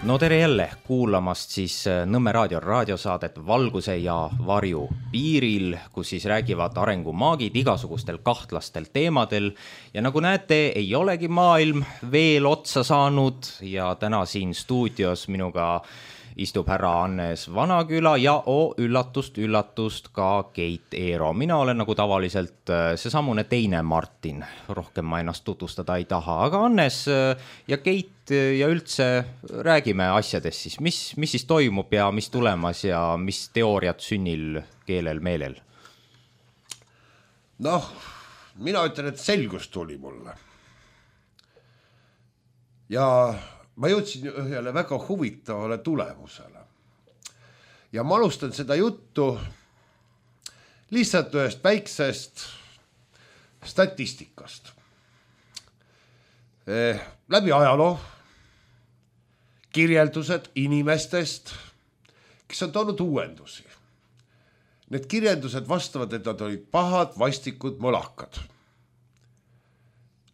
No tere jälle kuulamast siis Nõmme raadio raadiosaadet Valguse ja varju piiril, kus siis räägivad arengumaagid igasugustel kahtlastel teemadel. Ja nagu näete, ei olegi maailm veel otsa saanud ja täna siin stuudios minuga istub härra Hannes Vanaküla ja üllatust ka Keit Eero. Mina olen nagu tavaliselt seesamune teine Martin, rohkem ma ennast tutvustada ei taha, aga Hannes ja Keit ja üldse räägime asjadest siis, mis siis toimub ja mis tulemas ja mis teooriad sünnil keelel meelel? Noh, mina ütlen, et selgus tuli mulle. Ja ma jõudsin ühele väga huvitavale tulemusele. Ja ma alustan seda juttu lihtsalt ühest väiksest statistikast. Läbi ajaloo kirjeldused inimestest, kes on toonud uuendusi. Need kirjeldused vastavad, et nad olid pahad, vastikud, mõlakad.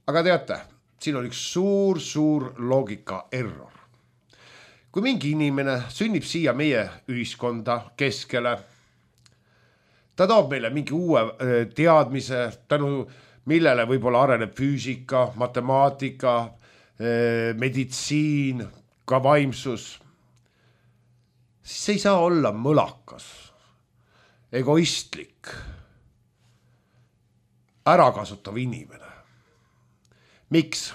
Aga teate, siin on üks suur loogika error. Kui mingi inimene sünnib siia meie ühiskonda keskele, ta toob meile mingi uue teadmise, tänu millele võib-olla areneb füüsika, matemaatika, meditsiin, ka vaimsus, siis see ei saa olla mõlakas, egoistlik, ärakasutav inimene. Miks?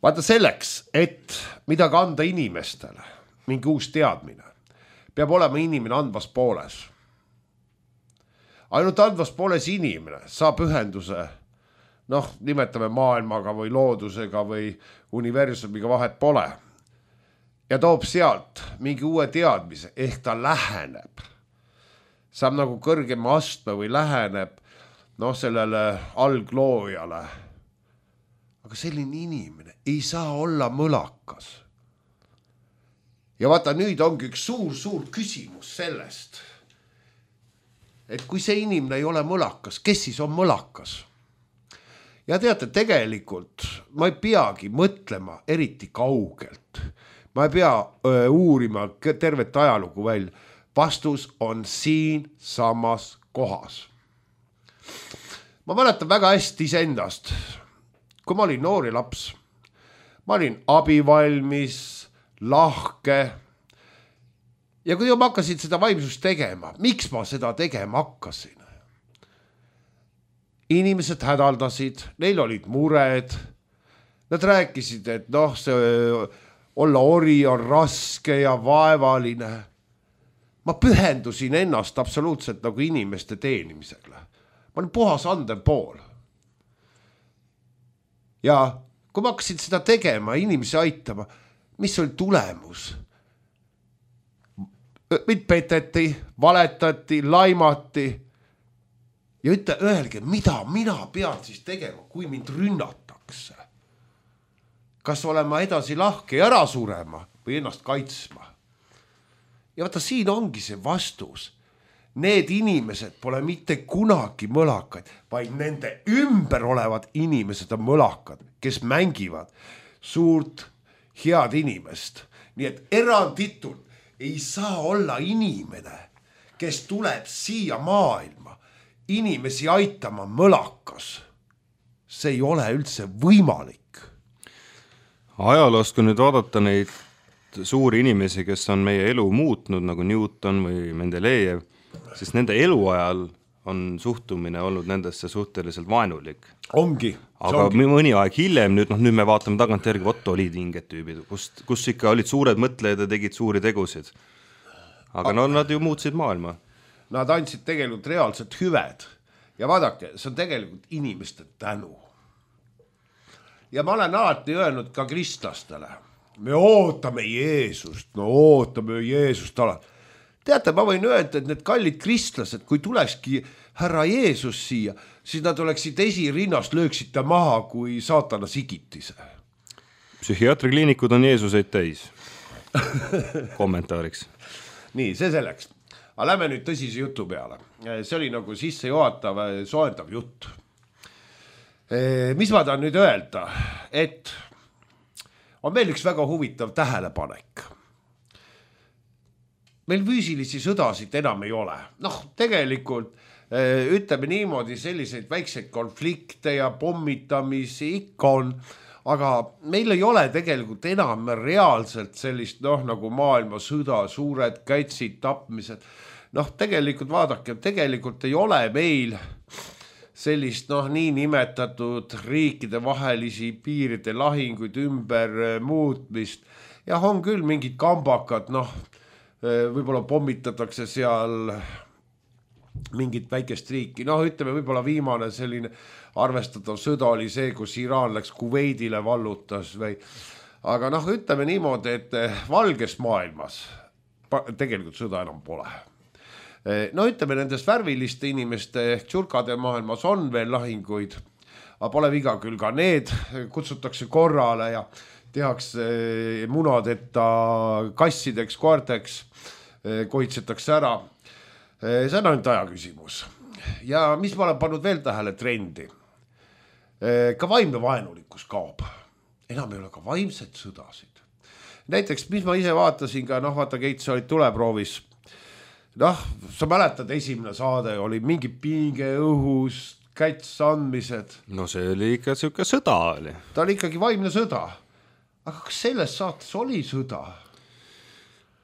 Vaata selleks, et midagi anda inimestele, mingi uus teadmine, peab olema inimene andvas pooles. Ainult andvas pooles inimene saab ühenduse, nimetame maailmaga või loodusega või universumiga, vahet pole. Ja toob sealt mingi uue teadmise, ehk ta läheneb. Saab nagu kõrgema astme või läheneb sellele algloojale. Aga selline inimene ei saa olla mõlakas. Ja vaata, nüüd ongi üks suur küsimus sellest, et kui see inimene ei ole mõlakas, kes siis on mõlakas? Ja teate, tegelikult ma ei peagi mõtlema eriti kaugelt. Ma ei pea uurima tervet ajalugu välja. Vastus on siin samas kohas. Ma mäletan väga hästi iseendast, kui ma olin noori laps. Ma olin abivalmis, lahke. Ja kui ma hakkasin seda vaimsust tegema, miks ma seda tegema hakkasin? Inimesed hädaldasid, neil olid mured. Nad rääkisid, et see olla ori on raske ja vaevaline. Ma pühendusin ennast absoluutselt nagu inimeste teenimisele. Ma olin puhas andev pool. Ja kui ma hakkasin seda tegema, inimesi aitama, mis oli tulemus? Mind peteti, valetati, laimati. Ja öelge, mida mina pean siis tegema, kui mind rünnatakse? Kas olema edasi lahke ja ära surema või ennast kaitsma? Ja vaata, siin ongi see vastus. Need inimesed pole mitte kunagi mõlakaid, vaid nende ümber olevad inimesed on mõlakad, kes mängivad suurt head inimest. Nii et eranditult ei saa olla inimene, kes tuleb siia maailma inimesi aitama mõlakas. See ei ole üldse võimalik. Ajaloost, kui nüüd vaadata neid suuri inimesi, kes on meie elu muutnud, nagu Newton või Mendelejev, siis nende eluajal on suhtumine olnud nendesse suhteliselt vaenulik. Ongi. Aga mõni aeg hiljem, nüüd me vaatame tagant järgi, olid inged tüübid, kus ikka olid suured mõtlejad ja tegid suuri tegusid. Aga nad ju muutsid maailma. Nad andsid tegelikult reaalselt hüved. Ja vaadake, see on tegelikult inimeste tänu. Ja ma olen alati öelnud ka kristlastele, me ootame Jeesust, ootame Jeesust alati. Teate, ma võin öelda, et need kallid kristlased, kui tulekski härra Jeesus siia, siis nad oleksid esirinnast lööksid ta maha kui saatana sigitise. Psühhiaatrikliinikud on Jeesuseid täis. Kommentaariks. Nii, see selleks. Aga lähme nüüd tõsise jutu peale. See oli nagu sissejuhatav, soendav jutt. Mis ma tahan nüüd öelda, et on veel üks väga huvitav tähelepanek. Meil füüsilisi sõdasid enam ei ole. Noh, tegelikult ütleme niimoodi, selliseid väikseid konflikte ja pommitamisi ikka on, aga meil ei ole tegelikult enam reaalselt sellist, nagu maailmasõda, suured kätsid, tapmised. Tegelikult vaadake, tegelikult ei ole meil sellist nii nimetatud riikide vahelisi piiride lahinguid ümber muutmist. Ja on küll mingid kambakad, võib-olla pommitatakse seal mingit väikest riiki. Ütleme, võib-olla viimane selline arvestatav sõda oli see, kus Iraan läks Kuveidile vallutas või. Aga ütleme niimoodi, et valges maailmas tegelikult sõda enam pole. Ütleme, nendes värviliste inimeste ehk tšurkade maailmas on veel lahinguid, aga pole viga küll ka need, kutsutakse korrale ja tehakse munadeta kassideks, koerteks, kohitsetakse ära. See on ainult aja küsimus. Ja mis ma olen pannud veel tähele trendi? Ka vaimne vaenulikkus kaob. Enam ei ole ka vaimsed sõdasid. Näiteks, mis ma ise vaatasin ka, vaata Keit, sa olid tuleproovis. Sa mäletad, esimene saade oli mingi pinge õhus, käts andmised. See oli ikka siuke sõda oli. Ta oli ikkagi vaimne sõda. Aga kas selles saates oli sõda?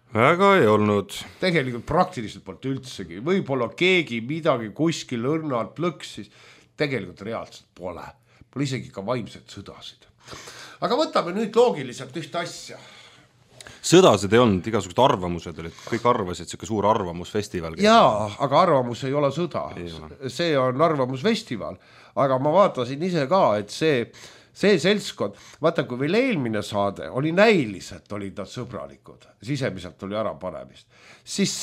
Väga ei olnud. Tegelikult praktiliselt poolt üldsegi. Võib-olla keegi midagi kuskil õrnalt plõksis. Tegelikult reaalselt pole. Pole isegi ka vaimsed sõdasid. Aga võtame nüüd loogiliselt ühte asja. Sõdasid ei olnud, igasugused arvamused olid. Kõik arvasid, siuke suur arvamusfestival. Jaa, aga arvamus ei ole sõda. See on arvamusfestival. Aga ma vaatasin ise ka, et see seltskond, vaata kui veel eelmine saade oli näiliselt, olid nad sõbralikud, sisemiselt oli ära panemist, siis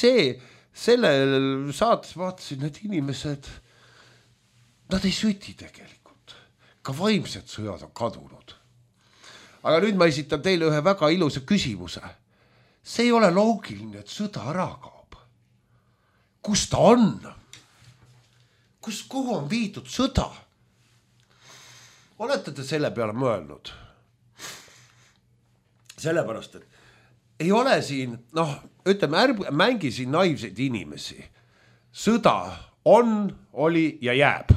sellel saates vaatasin, need inimesed, nad ei süti tegelikult, ka vaimsed sõjad on kadunud. Aga nüüd ma esitan teile ühe väga ilusa küsimuse. See ei ole loogiline, et sõda ära kaob. Kus ta on? Kuhu on viidud sõda? Olete te selle peale mõelnud? Sellepärast, et ei ole siin, ütleme, mängi siin naivseid inimesi. Sõda on, oli ja jääb.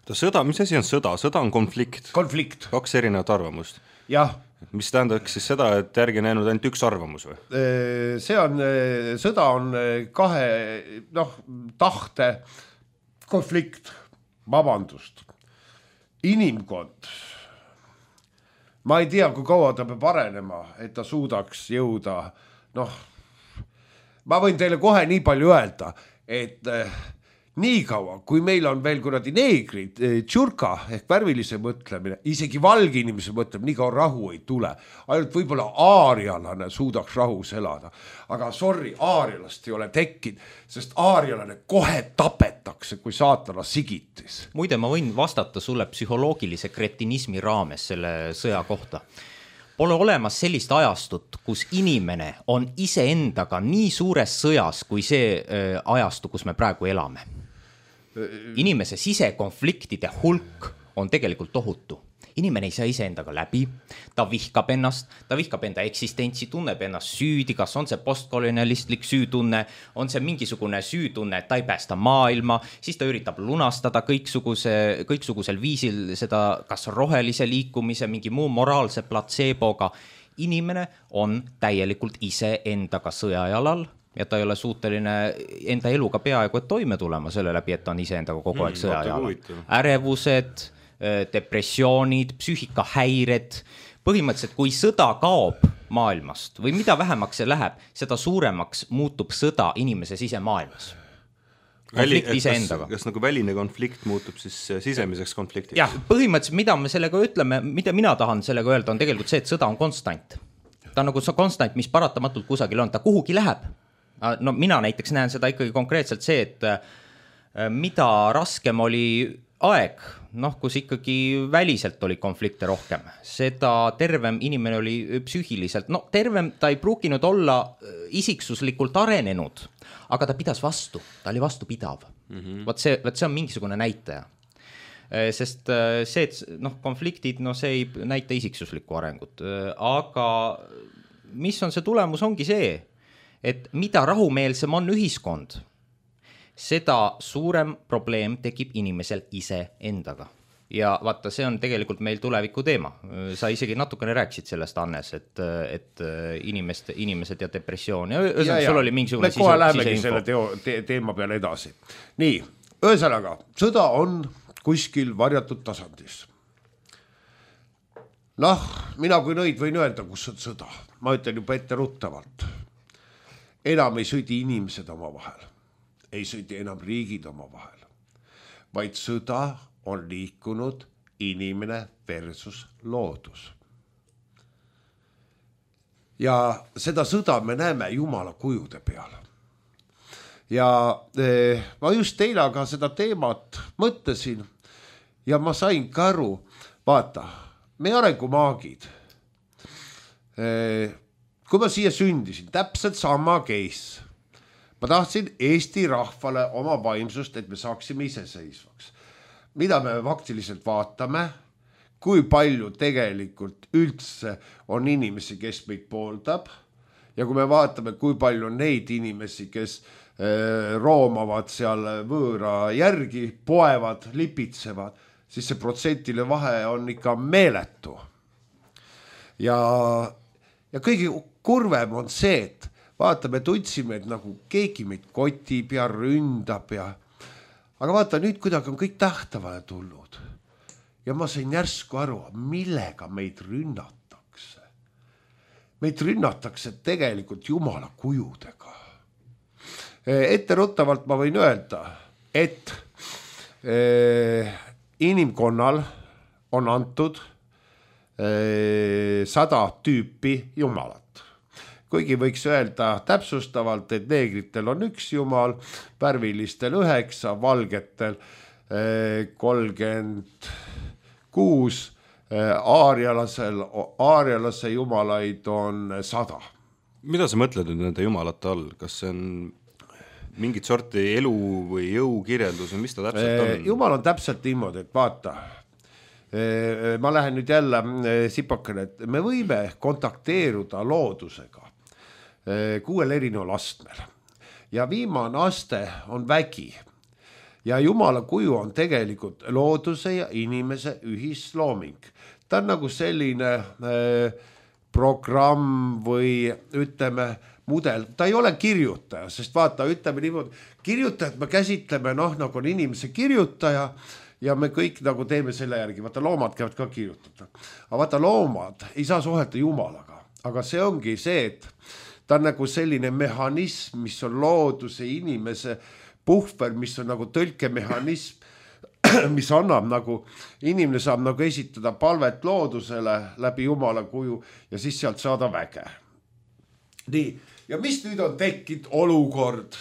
Sõda, mis asi on sõda? Sõda on konflikt. Konflikt. 2 erinevat arvamust. Jah. Mis tähendaks siis seda, et järgi näinud ainult üks arvamus või? Sõda on 2 tahte konflikt, vabandust. Inimkond, ma ei tea, kui kaua ta peab arenema, et ta suudaks jõuda, ma võin teile kohe nii palju öelda, et nii kaua, kui meil on veel kuradi neegrid, tšurka ehk värvilise mõtlemine, isegi valge inimese mõtlemine, nii kaua rahu ei tule. Ainult võib-olla aarialane suudaks rahus elada. Aga sorry, aarialast ei ole tekkinud, sest aarialane kohe tapetakse, kui saatana sigitis. Muide, ma võin vastata sulle psühholoogilise kretinismi raames selle sõja kohta. Pole olemas sellist ajastut, kus inimene on iseendaga nii suures sõjas, kui see ajastu, kus me praegu elame. Inimese sisekonfliktide hulk on tegelikult tohutu. Inimene ei saa iseendaga läbi, ta vihkab ennast, ta vihkab enda eksistentsi, tunneb ennast süüdi, kas on see postkolonialistlik süütunne, on see mingisugune süütunne, et ta ei päästa maailma, siis ta üritab lunastada kõiksugusel viisil seda kas rohelise liikumise, mingi muu moraalse platseeboga. Inimene on täielikult ise endaga sõjajalal ja ta ei ole suuteline enda eluga peaaegu et toime tulema selle läbi, et ta on ise endaga kogu aeg sõjajalal. Ärevused, depressioonid, psüühikahäired. Põhimõtteliselt, kui sõda kaob maailmast või mida vähemaks see läheb, seda suuremaks muutub sõda inimese sisemaailmas. Konflikt iseendaga. Kas nagu väline konflikt muutub siis sisemiseks konfliktiks? Jah, põhimõtteliselt, mida me sellega ütleme, mida mina tahan sellega öelda, on tegelikult see, et sõda on konstant. Ta on nagu see konstant, mis paratamatult kusagil on, ta kuhugi läheb. No mina näiteks näen seda ikkagi konkreetselt see, et mida raskem oli aeg, kus ikkagi väliselt oli konflikte rohkem, seda tervem inimene oli psüühiliselt, tervem ta ei pruukinud olla isiksuslikult arenenud, aga ta pidas vastu, ta oli vastupidav. Võt see on mingisugune näitaja. sest see, et konfliktid, see ei näita isiksuslikku arengut, aga mis on see tulemus, ongi see, et mida rahumeelsem on ühiskond, seda suurem probleem tekib inimesel ise endaga. Ja vaata, see on tegelikult meil tuleviku teema. Sa isegi natukene rääkisid sellest, Annes, et inimesed ja depressioon. Ja sul oli mingisugune kohe lähemegi selle teema peale edasi. Nii, ühesõnaga, sõda on kuskil varjatud tasandis. Mina kui nõid võin öelda, kus on sõda. Ma ütlen juba ette ruttavalt. Enam ei sõdi inimesed oma vahel. Ei sõdi enam riigid oma vahel. Vaid sõda on liikunud inimene versus loodus. Ja seda sõda me näeme Jumala kujude peal. Ja ma just eile ka seda teemat mõtlesin ja ma sain ka aru, vaata, me arengumaagid, kui ma siia sündisin, täpselt sama case. Ma tahtsin Eesti rahvale oma vaimsust, et me saaksime iseseisvaks. Mida me faktiliselt vaatame, kui palju tegelikult üldse on inimesi, kes meid pooldab. Ja kui me vaatame, kui palju on neid inimesi, kes roomavad seal võõra järgi, poevad, lipitsevad, siis see protsentile vahe on ikka meeletu. Ja kõige kurvem on see, et vaatame, tundsime, et nagu keegi meid kotib ja ründab ja aga vaata, nüüd kuidagi on kõik tähtavale tulnud. Ja ma sain järsku aru, millega meid rünnatakse. Meid rünnatakse tegelikult Jumala kujudega. Etteruttavalt ma võin öelda, et inimkonnal on antud 100 tüüpi Jumalat. Kuigi võiks öelda täpsustavalt, et neegritel on 1 jumal, värvilistel 9, valgetel 36, aarialase jumalaid on 100. Mida sa mõtled nüüd nende jumalate all? Kas see on mingit sorti elu või jõu kirjeldus või mis ta täpselt on? Jumal on täpselt niimoodi, et vaata, ma lähen nüüd jälle sipakene, et me võime kontakteeruda loodusega 6 erineval astmel. Ja viimane aste on vägi. Ja Jumala kuju on tegelikult looduse ja inimese ühislooming. Ta on nagu selline programm või ütleme mudel. Ta ei ole kirjutaja, sest vaata, ütleme niimoodi, kirjutajad me käsitleme, nagu on inimese kirjutaja ja me kõik nagu teeme selle järgi. Vaata, loomad käivad ka kirjutada. Aga vaata, loomad ei saa suhelda Jumalaga. Aga see ongi see, et ta on nagu selline mehhanism, mis on looduse inimese puhver, mis on nagu tõlkemehhanism, mis annab nagu, inimene saab nagu esitada palvet loodusele läbi Jumala kuju ja siis sealt saada väge. Nii, ja mis nüüd on tekkinud olukord,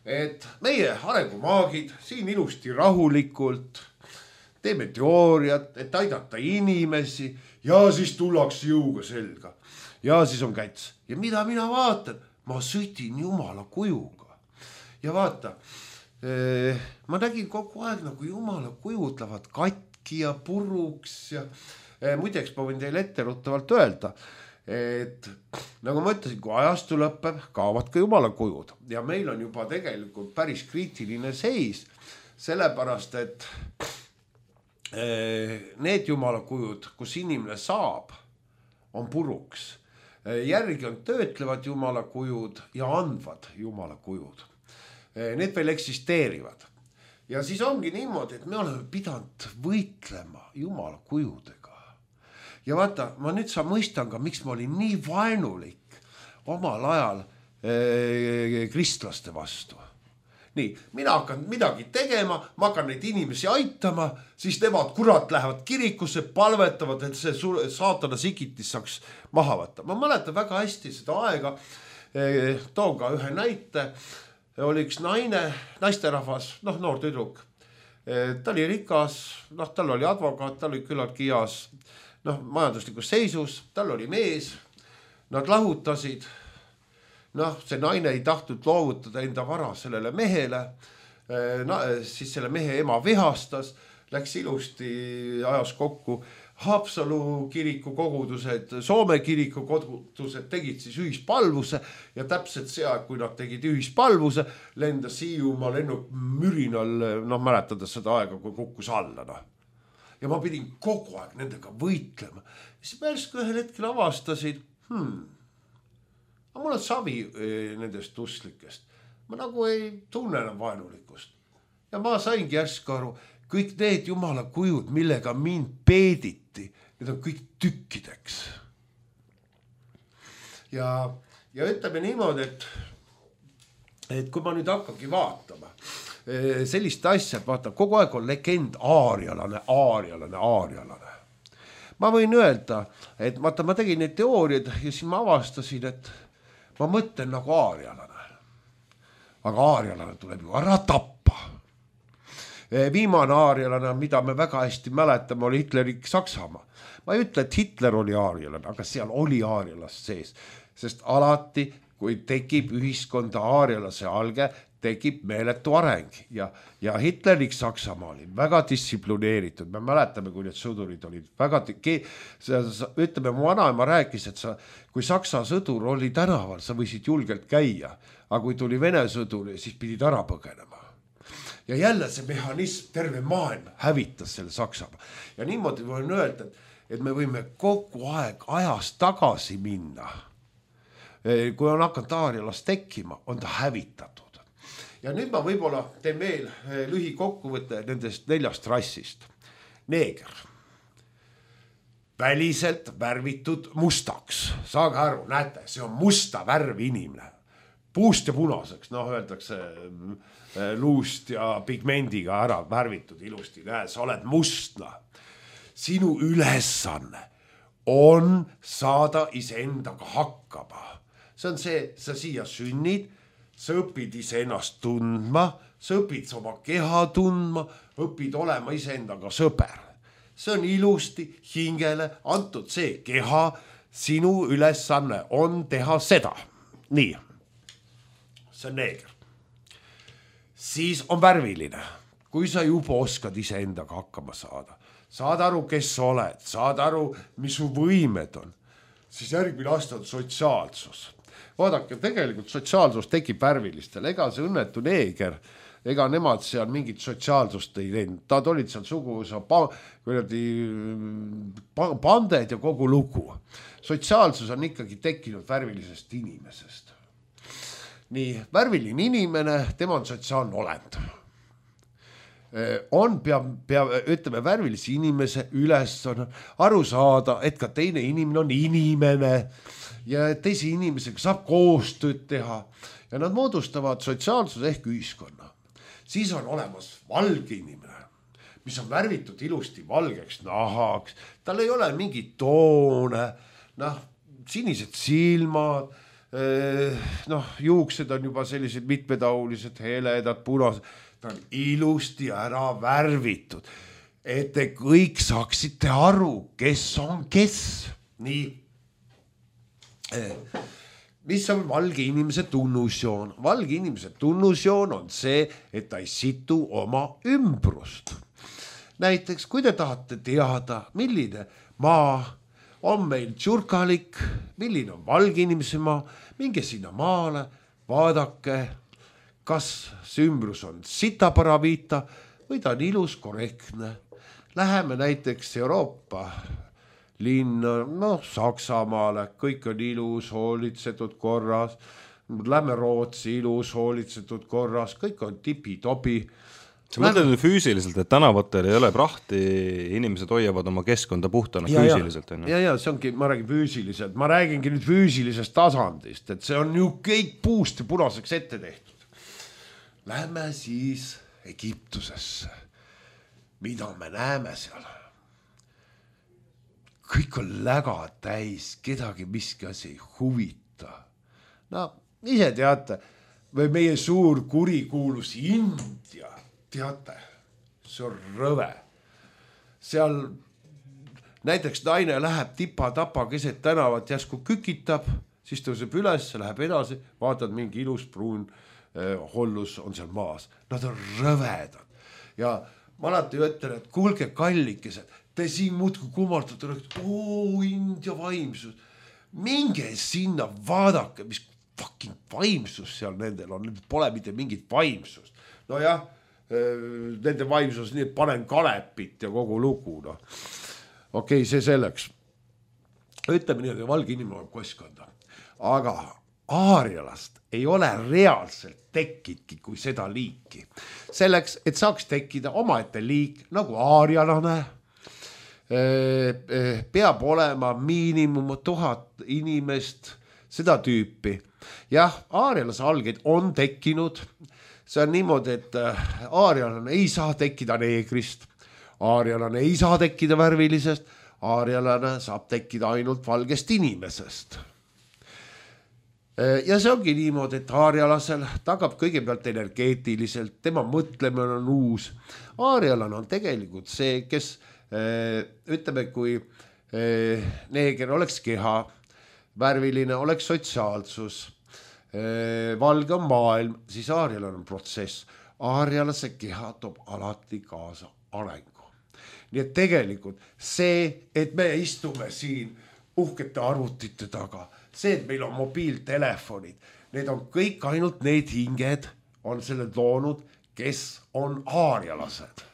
et meie arengumaagid siin ilusti rahulikult teeme teooriat, et aidata inimesi ja siis tullakse jõuga selga. Ja siis on käts. Ja mida mina vaatan? Ma sõdin Jumala kujuga. Ja vaata, ma nägin kogu aeg nagu Jumala kujud lähevad katki ja puruks ja muideks ma võin teile etteruttavalt öelda, et nagu ma ütlesin, kui ajastu lõpeb, kaovad ka Jumala kujud ja meil on juba tegelikult päris kriitiline seis, sellepärast, et need Jumala kujud, kus inimene saab, on puruks. Järgi on töötlevad Jumala kujud ja andvad Jumala kujud. Need veel eksisteerivad. Ja siis ongi niimoodi, et me oleme pidanud võitlema Jumala kujudega. Ja vaata, ma nüüd mõistan ka, miks ma olin nii vaenulik omal ajal kristlaste vastu. Nii, mina hakkan midagi tegema, ma hakkan neid inimesi aitama, siis nemad kurat lähevad kirikusse, palvetavad, et see saatana sikitis saaks maha võtta. Ma mäletan väga hästi seda aega, toon ka ühe näite, oli üks naisterahvas, noor tüdruk. Ta oli rikas, tal oli advokaat, ta oli küllaltki heas majanduslikus seisus, tal oli mees, nad lahutasid. See naine ei tahtnud loovutada enda vara sellele mehele, siis selle mehe ema vihastas, läks ilusti, ajas kokku. Haapsalu kiriku kogudused, Soome kiriku kogudused tegid siis ühispalvuse ja täpselt see aeg, kui nad tegid ühispalvuse, lendas Hiiumaa lennuk mürinal, mäletades seda aega, kui kukkus alla. Ja ma pidin kogu aeg nendega võitlema. Siis pärsku ühel hetkel avastasin, aga mul on savi nendest usklikest. Ma nagu ei tunne enam vaenulikkust. Ja ma saingi järsku aru, kõik need jumala kujud, millega mind peediti, need on kõik tükkideks. Ja ütleme niimoodi, et kui ma nüüd hakkangi vaatama sellist asja, et vaata, kogu aeg on legend aarialane. Ma võin öelda, et vaata, ma tegin neid teooriaid ja siis ma avastasin, et ma mõtlen nagu aarialane. Aga aarialane tuleb ju ära tappa. Viimane aarialane, mida me väga hästi mäletame, oli Hitleri Saksamaa. Ma ei ütle, et Hitler oli aarialane, aga seal oli aarialast sees. Sest alati, kui tekib ühiskonda aarialase alge, tekib meeletu areng. Ja Hitleri Saksamaa oli väga distsiplineeritud. Me mäletame, kui need sõdurid olid väga... Ütleme, mu vanaema rääkis, et kui Saksa sõdur oli tänaval, sa võisid julgelt käia. Aga kui tuli Vene sõdur, siis pidid ära põgenema. Ja jälle see mehhanism, terve maailm hävitas selle Saksamaa. Ja niimoodi võin öelda, et me võime kogu aeg ajas tagasi minna. Kui on hakanud aarialas tekkima, on ta hävitatud. Ja nüüd ma võib-olla teen veel lühikokkuvõtte nendest 4 rassist. Neeger. Väliselt värvitud mustaks. Saage aru, näete, see on musta värv inimene. Puust ja punaseks, öeldakse luust ja pigmendiga ära värvitud ilusti. Näe, sa oled mustna. Sinu ülesanne on saada iseendaga hakkama. See on see, sa siia sünnid, sa õpid iseennast tundma, sa õpid oma keha tundma, õpid olema iseendaga sõber. See on ilusti hingele antud see keha, sinu ülesanne on teha seda. Nii. See on neeger. Siis on värviline. Kui sa juba oskad iseendaga hakkama saada, saad aru, kes sa oled, saad aru, mis su võimed on, siis järgmine aasta on sotsiaalsus. Vaadake, tegelikult sotsiaalsus tekib värvilistel. Ega see õnnetu neeger, ega nemad seal mingit sotsiaalsust ei teinud. Nad olid seal suguvõsa panded ja kogu lugu. Sotsiaalsus on ikkagi tekkinud värvilisest inimesest. Nii, värviline inimene, tema on sotsiaalne olend. Ütleme, värvilise inimese ülesanne aru saada, et ka teine inimene on inimene ja teise inimesega saab koostööd teha ja nad moodustavad sotsiaalsuse ehk ühiskonna. Siis on olemas valge inimene, mis on värvitud ilusti valgeks nahaks, tal ei ole mingit toone, sinised silmad, juuksed on juba sellised mitmetahulised, heledad, punased, ta on ilusti ära värvitud, et te kõik saaksite aru, kes on kes. Nii, mis on valge inimese tunnusjoon? Valge inimese tunnusjoon on see, et ta ei situ oma ümbrust. Näiteks, kui te tahate teada, milline maa on meil tšurkalik, milline on valge inimese maa, minge sinna maale, vaadake, kas see ümbrus on sitaparaviita või ta on ilus, korrektne. Läheme näiteks Euroopa linna, Saksamaale, kõik on ilus, hoolitsetud korras. Lähme Rootsi, ilus, hoolitsetud korras, kõik on tipi-topi. Sa mõtled nüüd füüsiliselt, et tänavatel ei ole prahti, inimesed hoiavad oma keskkonda puhtana füüsiliselt. Ja, see ongi, ma räägin füüsiliselt, ma räägingi nüüd füüsilisest tasandist, et see on ju kõik puust ja punaseks ette tehtud. Lähme siis Egiptusesse. Mida me näeme seal? Kõik on läga täis, kedagi miski asi ei huvita. Ise teate, või meie suur kurikuulus India, teate, see on rõve. Seal näiteks naine läheb tipa-tapa keset tänavat, jäsku kükitab, siis tõuseb üles, läheb edasi, vaatad mingi ilus pruun hollus on seal maas. Nad on rõvedad. Ja ma alati ütlen, et kuulge kallikesed, te siin muudkui kummartate, India vaimsus. Minge sinna, vaadake, mis fucking vaimsus seal nendel on, pole mitte mingit vaimsust. No jah, nende vaimsus, nii et panen kalepit ja kogu lugu, no. Okei, see selleks. Ütleme nii, et valge inimene on koskonda. Aga aarialast ei ole reaalselt tekkidki kui seda liiki. Selleks, et saaks tekkida omaette liik nagu aarialane, peab olema miinimum 1000 inimest, seda tüüpi. Jah, aarialase algeid on tekkinud. See on niimoodi, et aarialane ei saa tekkida neegrist, aarialane ei saa tekkida värvilisest, aarialane saab tekkida ainult valgest inimesest. Ja see ongi niimoodi, et aarialasel tagab kõigepealt energeetiliselt, tema mõtlemine on uus. Aarialane on tegelikult see, kes ütleme, kui neeger oleks keha, värviline oleks sotsiaalsus, valge on maailm, siis aarialane on protsess. Aarialase keha toob alati kaasa arengu. Nii et tegelikult see, et me istume siin uhkete arvutite taga, see, et meil on mobiiltelefonid, need on kõik ainult need hinged, on selle loonud, kes on aarialased.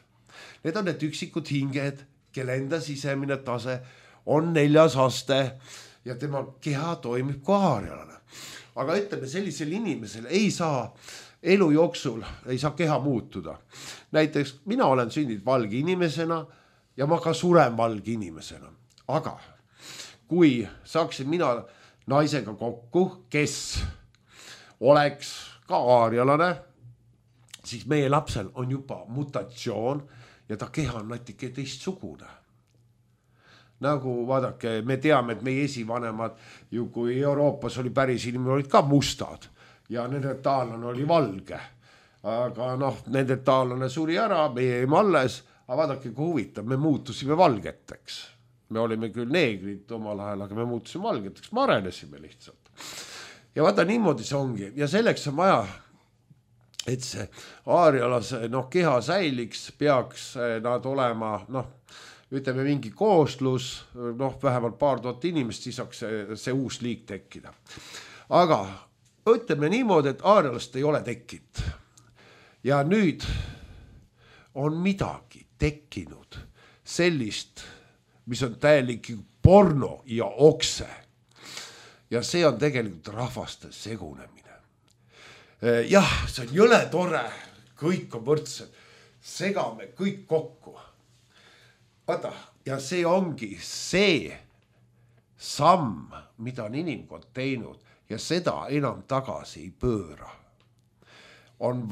Need on need üksikud hinged, kelle enda sisemine tase on 4. aste ja tema keha toimib kui aarialane. Aga ütleme, sellisel inimesel ei saa elu jooksul, ei saa keha muutuda. Näiteks mina olen sündinud valge inimesena ja ma ka suren valge inimesena. Aga kui saaksin mina naisega kokku, kes oleks ka aarialane, siis meie lapsel on juba mutatsioon ja ta keha on natuke teistsugune. Nagu vaadake, me teame, et meie esivanemad ju kui Euroopas oli päris inimene, olid ka mustad ja nende taallane oli valge. Aga nende taallane suri ära, meie jäime alles, aga vaadake, kui huvitav, me muutusime valgeteks. Me olime küll neegrid omal ajal, aga me muutusime valgeteks, me arenesime lihtsalt. Ja vaata, niimoodi see ongi ja selleks on vaja, et see aarialase keha säiliks, peaks nad olema, ütleme mingi kooslus, vähemalt 2000 inimest, siis saaks see uus liik tekkida. Aga ütleme niimoodi, et aarialast ei ole tekkinud. Ja nüüd on midagi tekkinud sellist, mis on täielik porno ja okse. Ja see on tegelikult rahvaste segunemine. Jah, see on jõle tore, kõik on võrdsed, segame kõik kokku. Vaata, ja see ongi see samm, mida on inimkond teinud ja seda enam tagasi ei pööra. On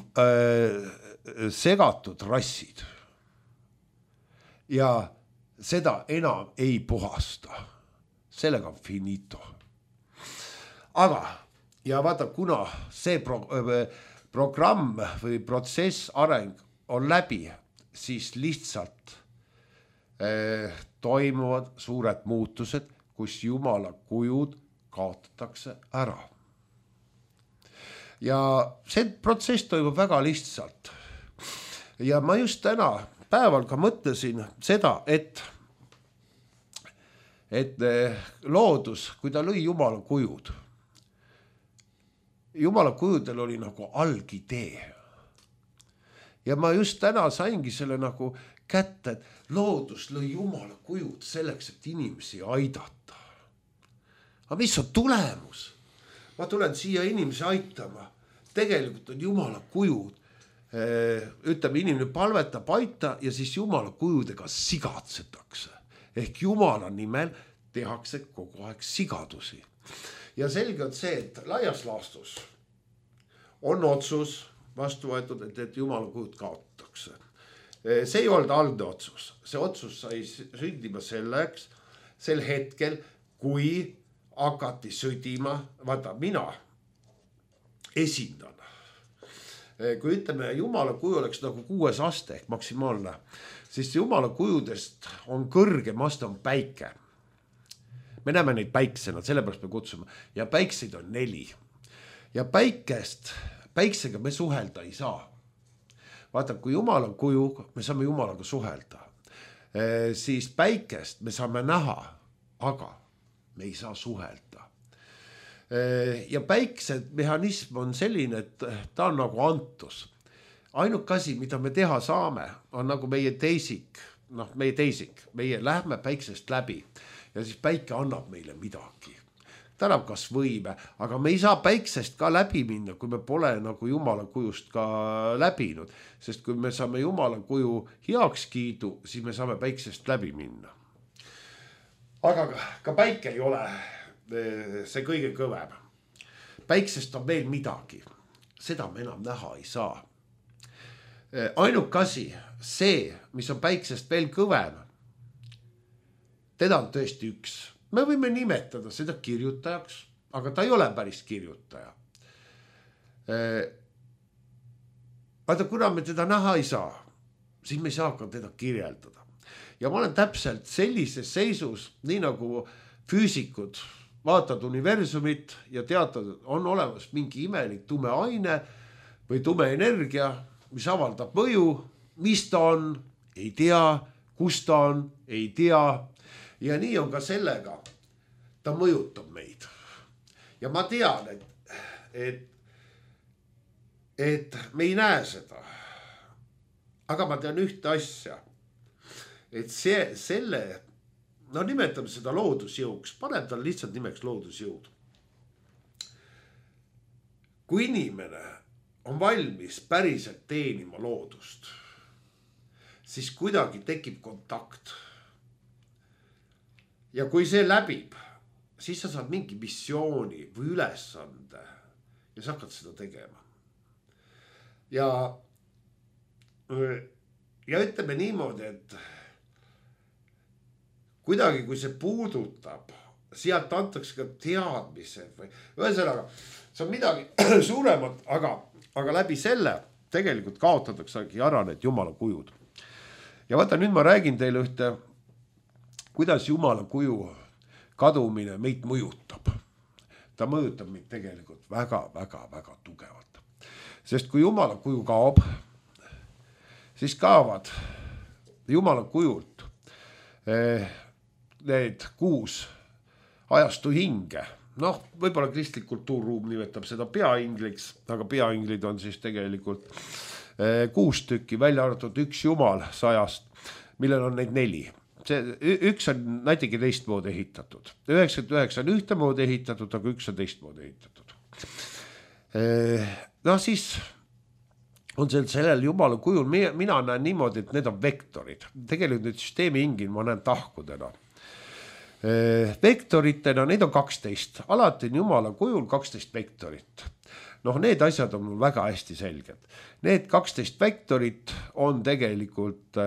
segatud rassid ja seda enam ei puhasta. Sellega on finito. Aga ja vaata, kuna see programm või protsess areng on läbi, siis lihtsalt toimuvad suured muutused, kus Jumala kujud kaotatakse ära. Ja see protsess toimub väga lihtsalt. Ja ma just täna päeval ka mõtlesin seda, et loodus, kui ta lõi Jumala kujud, Jumala kujudel oli nagu algidee. Ja ma just täna saingi selle nagu kätte, et loodus lõi Jumala kujud selleks, et inimesi aidata. Aga mis on tulemus? Ma tulen siia inimesi aitama. Tegelikult on Jumala kujud. Ütleme, inimene palvetab aita ja siis Jumala kujudega sigatsetakse. Ehk Jumala nimel tehakse kogu aeg sigadusi. Ja selge on see, et laias laastus on otsus vastu võetud, et Jumala kujud kaotatakse. See ei olnud algne otsus. See otsus sai sündima sel hetkel, kui hakati sõdima, vaata, mina esindan. Kui ütleme, Jumala kuju oleks nagu 6 aste ehk maksimaalne, siis Jumala kujudest on kõrgem aste on päike. Me näeme neid päiksena, sellepärast me kutsume. Ja päikseid on 4. Ja päiksega me suhelda ei saa. vaata, kui Jumala kuju, me saame Jumalaga suhelda, siis päikest me saame näha, aga me ei saa suhelda. Ja päikse mehhanism on selline, et ta on nagu antus. Ainuke asi, mida me teha saame, on nagu meie teisik, meie lähme päiksest läbi ja siis päike annab meile midagi. Ta annab kas võime, aga me ei saa päiksest ka läbi minna, kui me pole nagu Jumala kujust ka läbinud. Sest kui me saame Jumala kuju heakskiidu, siis me saame päiksest läbi minna. Aga ka päike ei ole see kõige kõvem. Päiksest on veel midagi. Seda me enam näha ei saa. Ainuke asi, see, mis on päiksest veel kõvem, teda on tõesti üks. Me võime nimetada seda kirjutajaks, aga ta ei ole päris kirjutaja. Vaata, kuna me teda näha ei saa, siis me ei saa ka teda kirjeldada. Ja ma olen täpselt sellises seisus, nii nagu füüsikud vaatad universumit ja teatad, on olemas mingi imelik tume aine või tume energia, mis avaldab mõju, mis ta on, ei tea, kus ta on, ei tea. Ja nii on ka sellega, ta mõjutab meid. Ja ma tean, et me ei näe seda. Aga ma tean ühte asja, et nimetame seda loodusjõuks, paneb tal lihtsalt nimeks loodusjõud. Kui inimene on valmis päriselt teenima loodust, siis kuidagi tekib kontakt. Ja kui see läbib, siis sa saad mingi missiooni või ülesande ja sa hakkad seda tegema. Ja ütleme niimoodi, et kuidagi kui see puudutab, sealt antakse ka teadmised või ühesõnaga, see on midagi suuremat, aga läbi selle tegelikult kaotataksegi ära need Jumala kujud. Ja vaata, nüüd ma räägin teile ühte, kuidas Jumala kuju kadumine meid mõjutab. Ta mõjutab meid tegelikult väga, väga, väga tugevalt. Sest kui Jumala kuju kaob, siis kaovad Jumala kujult need 6 ajastu hinge. Võib-olla kristlik kultuurruum nimetab seda peaingliks, aga peainglid on siis tegelikult 6 tükki, välja arvatud 1 Jumal 100, millel on neid 4. Üks on natuke teistmoodi ehitatud. 99 on ühtemoodi ehitatud, aga 1 on teistmoodi ehitatud. Siis on sellel Jumala kujul, mina näen niimoodi, et need on vektorid. Tegelikult need süsteemi hingin ma näen tahkudena. Vektoritena, neid on 12. Alati on Jumala kujul 12 vektorit. Need asjad on mul väga hästi selged. Need 12 vektorit on tegelikult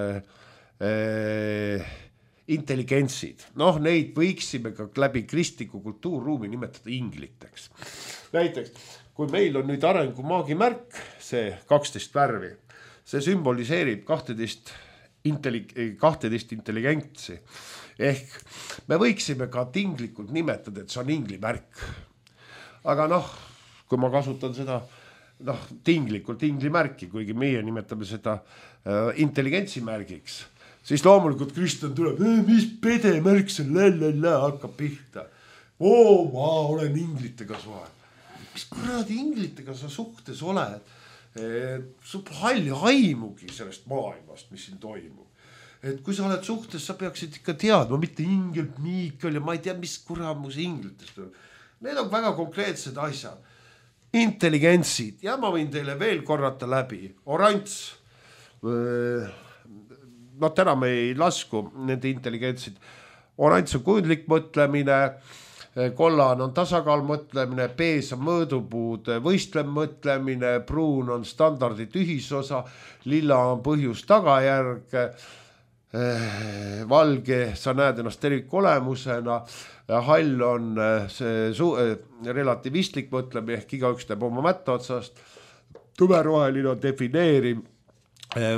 intelligentsid. Neid võiksime ka läbi kristliku kultuurruumi nimetada ingliteks. Näiteks, kui meil on nüüd arengumaagi märk, see 12 värvi, see sümboliseerib 12 intelligentsi. Ehk me võiksime ka tinglikult nimetada, et see on ingli märk. Aga kui ma kasutan seda tinglikult ingli märki, kuigi meie nimetame seda intelligentsi märgiks, siis loomulikult Kristjan tuleb, mis pede märk see hakkab pihta. Ma olen inglitega suhe. Mis kuradi inglitega sa suhtes oled? Sul halli aimugi sellest maailmast, mis siin toimub. Et kui sa oled suhtes, sa peaksid ikka teadma, mitte ingel, Miikal ja ma ei tea, mis kuramus inglitest on. Need on väga konkreetsed asjad. Intelligentsid, ja ma võin teile veel korrata läbi. Oranž, täna me ei lasku nende intelligentsid. Oranž on kujundlik mõtlemine, kollane on tasakaal mõtlemine, pees on mõõdupuud võistlev mõtlemine, pruun on standardit ühisosa, lilla on põhjus tagajärg, valge, sa näed ennast tervikolemusena, hall on relativistlik mõtlemine, ehk igaüks teeb oma mätta otsast, tumeroheline on defineeriv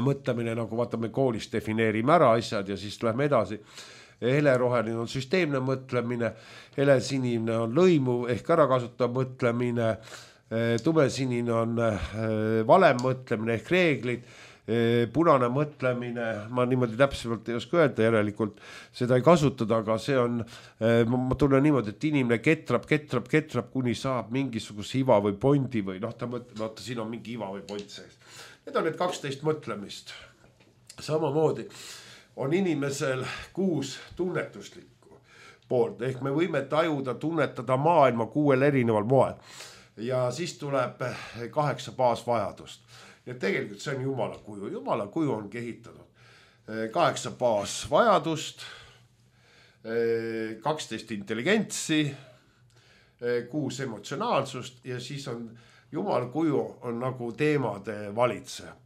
mõtlemine, nagu vaatame koolis defineerime ära asjad ja siis lähme edasi. Heleroheline on süsteemne mõtlemine, helesinine on lõimuv ehk ärakasutav mõtlemine, tumesinine on valem mõtlemine ehk reeglid, punane mõtlemine, ma niimoodi täpsemalt ei oska öelda, järelikult seda ei kasutada, aga see on, ma tunnen niimoodi, et inimene ketrab, kuni saab mingisuguse iva või pondi või ta mõtleb, vaata siin on mingi iva või pond sees. Need on need 12 mõtlemist. Samamoodi on inimesel 6 tunnetuslikku poolt, ehk me võime tajuda, tunnetada maailma 6 erineval moel. Ja siis tuleb 8 baasvajadust. Ja tegelikult see on Jumala kuju. Jumala kuju on ehitatud 8 baasvajadust, 12 intelligentsi, 6 emotsionaalsust ja siis on Jumala kuju on nagu teemade valitseja.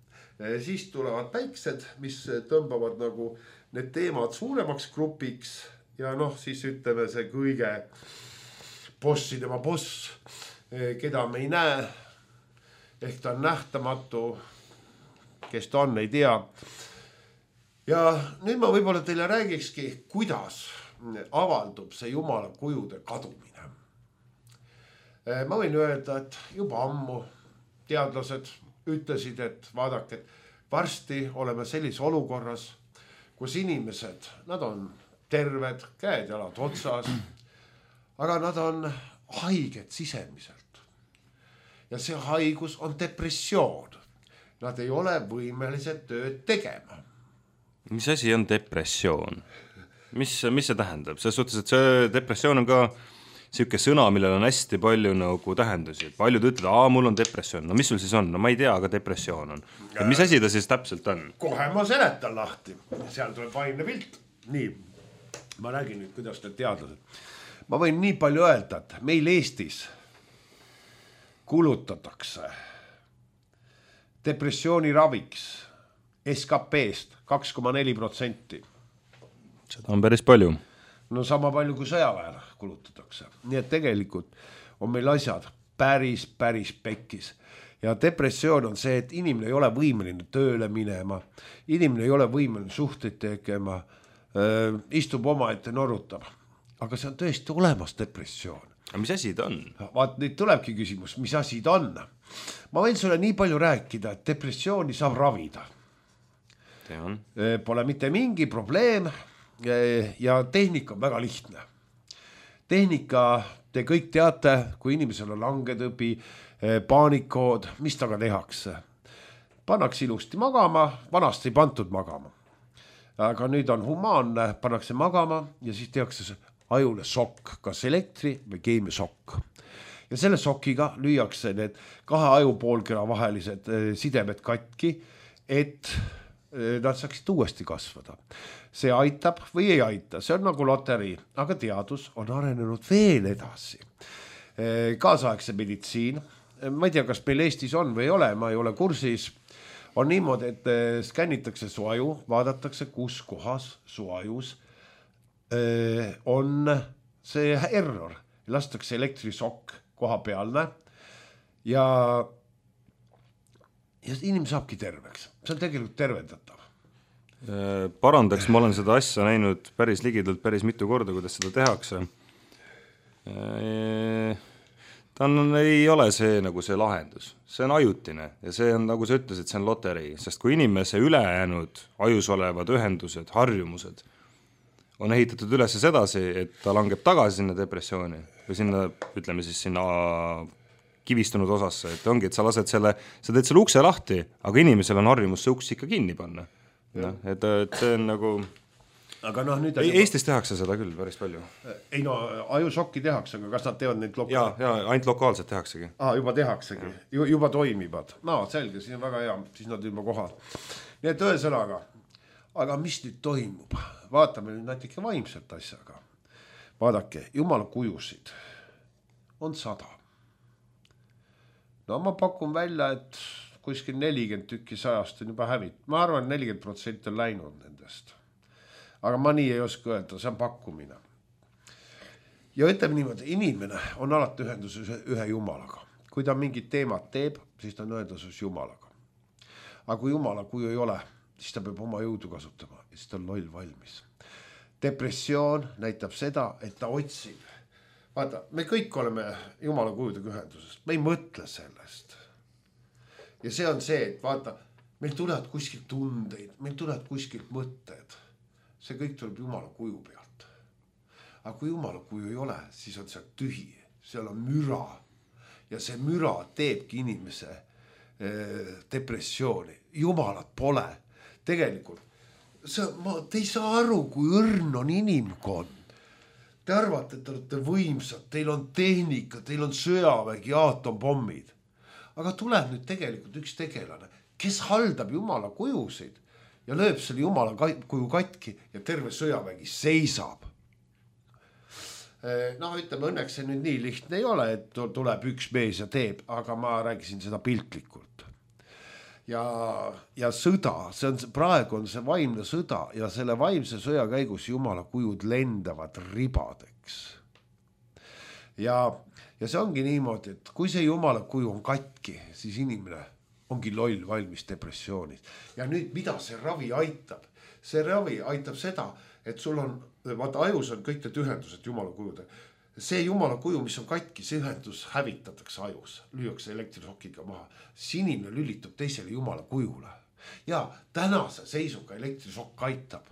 Siis tulevad päiksed, mis tõmbavad nagu need teemad suuremaks grupiks ja siis ütleme see kõige bossidema boss, keda me ei näe, ehk ta on nähtamatu, kes ta on, ei tea. Ja nüüd ma võib-olla teile räägikski, kuidas avaldub see Jumala kujude kadumine. Ma võin öelda, et juba ammu teadlased ütlesid, et vaadake, varsti oleme sellise olukorras, kus inimesed, nad on terved, käed jalad otsas, aga nad on haiged sisemiselt. Ja see haigus on depressioon. Nad ei ole võimelised tööd tegema. Mis asi on depressioon? Mis see tähendab? Selles suhtes, et see depressioon on ka siuke sõna, millel on hästi palju nagu tähendusi. Paljud ütlevad, mul on depressioon. No mis sul siis on? No ma ei tea, aga depressioon on. Et mis asi ta siis täpselt on? Kohe ma seletan lahti. Seal tuleb vaimne pilt. Nii, ma räägin nüüd, kuidas need teadlased. Ma võin nii palju öelda, et meil Eestis kulutatakse depressiooni raviks SKP-st 2,4%. Seda on päris palju. No sama palju kui sõjaväel kulutatakse. Nii et tegelikult on meil asjad päris pekkis. Ja depressioon on see, et inimene ei ole võimeline tööle minema, inimene ei ole võimeline suhteid tegema, istub oma ette, norutab. Aga see on tõesti olemas depressioon. Aga mis asi ta on? Vaat nüüd tulebki küsimus, mis asi ta on. Ma võin sulle nii palju rääkida, et depressiooni saab ravida. Pole mitte mingi probleem ja tehnika on väga lihtne. Tehnika, te kõik teate, kui inimesel on langetõbi, paanikood, mis taga tehakse. Pannakse ilusti magama, vanasti ei pantud magama. Aga nüüd on humaanne, pannakse magama ja siis tehakse ajule sokk, kas elektri või keemiasokk. Ja selle sokiga lüüakse need 2 ajupoolkera vahelised sidemed katki, et nad saaksid uuesti kasvada. See aitab või ei aita, see on nagu loterii, aga teadus on arenenud veel edasi. Kaasaegse meditsiin, ma ei tea, kas meil Eestis on või ei ole, ma ei ole kursis, on niimoodi, et skännitakse su aju, vaadatakse, kus kohas su ajus on see error, lastakse elektrisokk koha pealne ja inimene saabki terveks. See on tegelikult tervendatav. Parandaks, ma olen seda asja näinud päris ligidalt päris mitu korda, kuidas seda tehakse. Ei ole see nagu see lahendus. See on ajutine ja see on, nagu sa ütlesid, see on loterii, sest kui inimese ülejäänud ajus olevad ühendused, harjumused on ehitatud üles sedasi, et ta langeb tagasi sinna depressiooni või sinna, ütleme siis sinna kivistunud osasse, et ongi, et sa teed selle ukse lahti, aga inimesel on harjumus see uks ikka kinni panna. No, et see on nagu... Aga nüüd Eestis tehakse seda küll päris palju. Ei no, ajusokki tehakse, aga kas nad teevad neid lokaalselt? Ja, ainult lokaalselt tehaksegi. Juba tehaksegi, juba toimivad. No, selge, siin on väga hea, siis nad juba kohal. Nii et ühesõnaga, aga mis nüüd toimub? Vaatame nüüd natuke vaimselt asjaga. Vaadake, Jumala kujusid on 100. No ma pakun välja, et kuskil 40 tükki 100 on juba hävit. Ma arvan, 40% on läinud nendest. Aga ma nii ei oska öelda, see on pakkumine. Ja ütleme niimoodi, inimene on alati ühenduses ühe Jumalaga. Kui ta mingid teemad teeb, siis ta on ühenduses Jumalaga. Aga kui Jumala kuju ei ole, siis ta peab oma jõudu kasutama ja siis ta on loll valmis. Depressioon näitab seda, et ta otsib. Vaata, me kõik oleme Jumala kujudega ühenduses. Me ei mõtle sellest. Ja see on see, et vaata, meil tulevad kuskilt tundeid, meil tulevad kuskilt mõtted. See kõik tuleb Jumala kuju pealt. Aga kui Jumala kuju ei ole, siis on seal tühi, seal on müra. Ja see müra teebki inimese depressiooni. Jumalat pole. Tegelikult, te ei saa aru, kui õrn on inimkond. Te arvate, et te olete võimsad, teil on tehnika, teil on sõjavägi, aatompommid. Aga tuleb nüüd tegelikult üks tegelane, kes haldab Jumala kujusid ja lööb selle Jumala kuju katki ja terve sõjavägi seisab. No ütleme, õnneks see nüüd nii lihtne ei ole, et tuleb üks mees ja teeb, aga ma rääkisin seda piltlikult. Ja sõda, praegu on see vaimne sõda ja selle vaimse sõja käigus Jumala kujud lendavad ribadeks. Ja see ongi niimoodi, et kui see Jumala kuju on katki, siis inimene ongi loll valmis depressioonis. Ja nüüd mida see ravi aitab? See ravi aitab seda, et sul on, vaata ajus on kõik need ühendused Jumala kujude. See Jumala kuju, mis on katki, see ühendus hävitatakse ajus, lüüakse elektrisokiga maha. Siis inimene lülitub teisele Jumala kujule. Ja tänase seisuga elektrisokk aitab.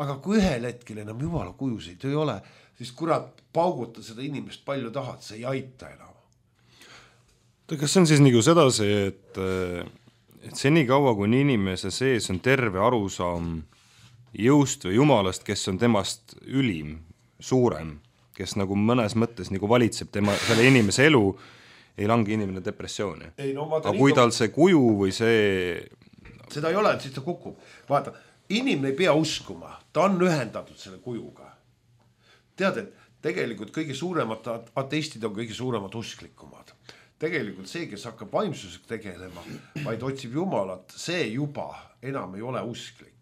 Aga kui ühel hetkel enam Jumala kujusid ei ole, siis kurat pauguta seda inimest palju tahad, see ei aita enam. Kas see on siis nagu sedasi, et senikaua, kui inimese sees on terve arusaam jõust või Jumalast, kes on temast ülim, suurem, kes nagu mõnes mõttes nagu valitseb selle inimese elu, ei langi inimene depressiooni. Aga kui tal see kuju või see... Seda ei ole, et siis ta kukub. Vaata, inimene ei pea uskuma, ta on ühendatud selle kujuga. Tead, et tegelikult kõige suuremad ateistid on kõige suuremad usklikumad. Tegelikult see, kes hakkab vaimsusega tegelema, vaid otsib Jumalat, see juba enam ei ole usklik.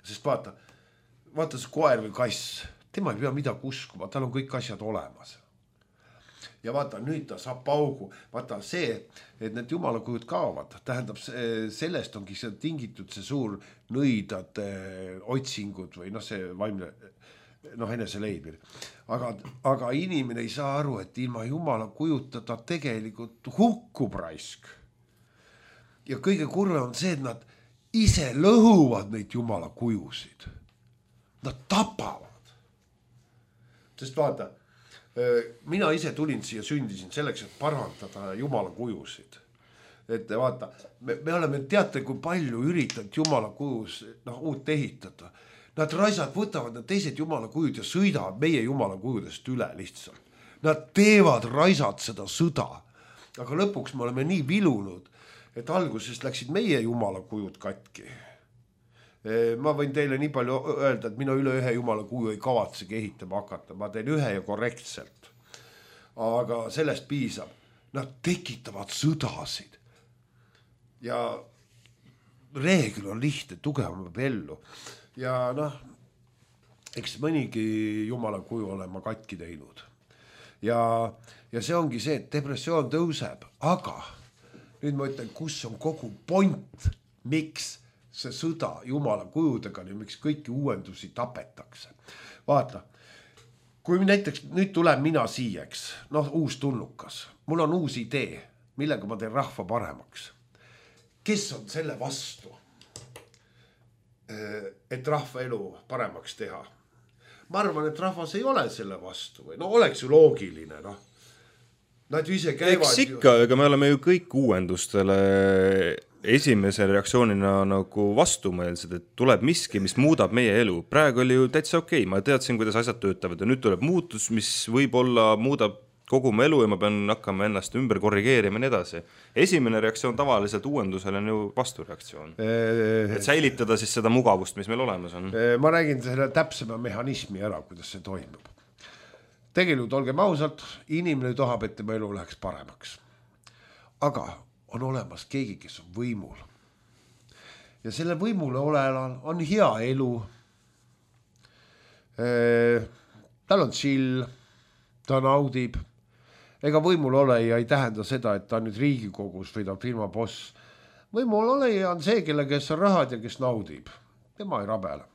Sest vaata see koer või kass, tema ei pea midagi uskuma, tal on kõik asjad olemas. Ja vaata, nüüd ta saab paugu. Vaata see, et need Jumala kujud kaovad, tähendab, sellest ongi see tingitud see suur nõidade otsingud või see vaimne enese leidmine. Aga inimene ei saa aru, et ilma Jumala kujuta ta tegelikult hukkub raisk. Ja kõige kurvem on see, et nad ise lõhuvad neid Jumala kujusid. Nad tapavad. Sest vaata, mina ise tulin siia, sündisin selleks, et parandada Jumala kujusid. Et vaata, me oleme, teate, kui palju üritanud Jumala kujus uut ehitada. Nad raisad võtavad need teised Jumala kujud ja sõidavad meie Jumala kujudest üle lihtsalt. Nad teevad raisad seda sõda. Aga lõpuks me oleme nii vilunud, et algusest läksid meie Jumala kujud katki. Ma võin teile nii palju öelda, et mina üle ühe Jumala kuju ei kavatsegi ehitama hakata. Ma teen ühe ja korrektselt. Aga sellest piisab. Nad tekitavad sõdasid. Ja reegel on lihtne, tugevam ellu. Ja eks mõnigi Jumala kuju olen ma katki teinud. Ja see ongi see, et depressioon tõuseb. Aga nüüd ma ütlen, kus on kogu point, miks see sõda Jumala kujudega, miks kõiki uuendusi tapetakse. Vaata, kui näiteks nüüd tuleb mina siieks, uus tulnukas, mul on uus idee, millega ma teen rahva paremaks. Kes on selle vastu, et rahva elu paremaks teha? Ma arvan, et rahvas ei ole selle vastu või oleks ju loogiline, Nad ju ise käivad. Eks ikka, ega me oleme ju kõik uuendustele esimese reaktsioonina nagu vastumeelsed, et tuleb miski, mis muudab meie elu. Praegu oli ju täitsa okei, ma teadsin, kuidas asjad töötavad ja nüüd tuleb muutus, mis võib-olla muudab kogu mu elu ja ma pean hakkama ennast ümber korrigeerima ja nii edasi. Esimene reaktsioon tavaliselt uuendusele on ju vastureaktsioon. Et säilitada siis seda mugavust, mis meil olemas on. Ma räägin selle täpsema mehhanismi ära, kuidas see toimub. Tegelikult olgem ausalt, inimene tahab, et tema elu läheks paremaks. Aga on olemas keegi, kes on võimul. Ja selle võimule olejal on hea elu. Tal on chill, ta naudib. Ega võimul oleja ei tähenda seda, et ta on nüüd Riigikogus või ta on firma boss. Võimul oleja on see, kelle kes on rahad ja kes naudib. Tema ei rabele.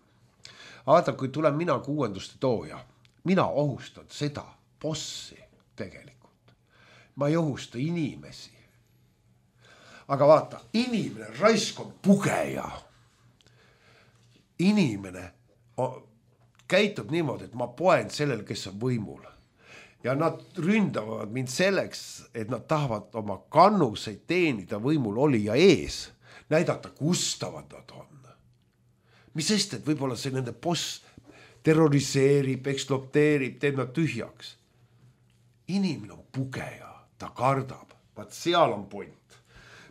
Vaata, kui tulen mina uuenduste tooja, mina ohustan seda bossi tegelikult. Ma ei ohusta inimesi. aga vaata, inimene raisk on pugeja. Inimene käitub niimoodi, et ma poen sellel, kes on võimul. Ja nad ründavad mind selleks, et nad tahavad oma kannuseid teenida võimul olija ees. Näidata, kustavad nad on. Mis sest, et võib-olla see nende boss terroriseerib, eksploteerib, teeb nad tühjaks. Inimene on pugeja, ta kardab. Vaat seal on point.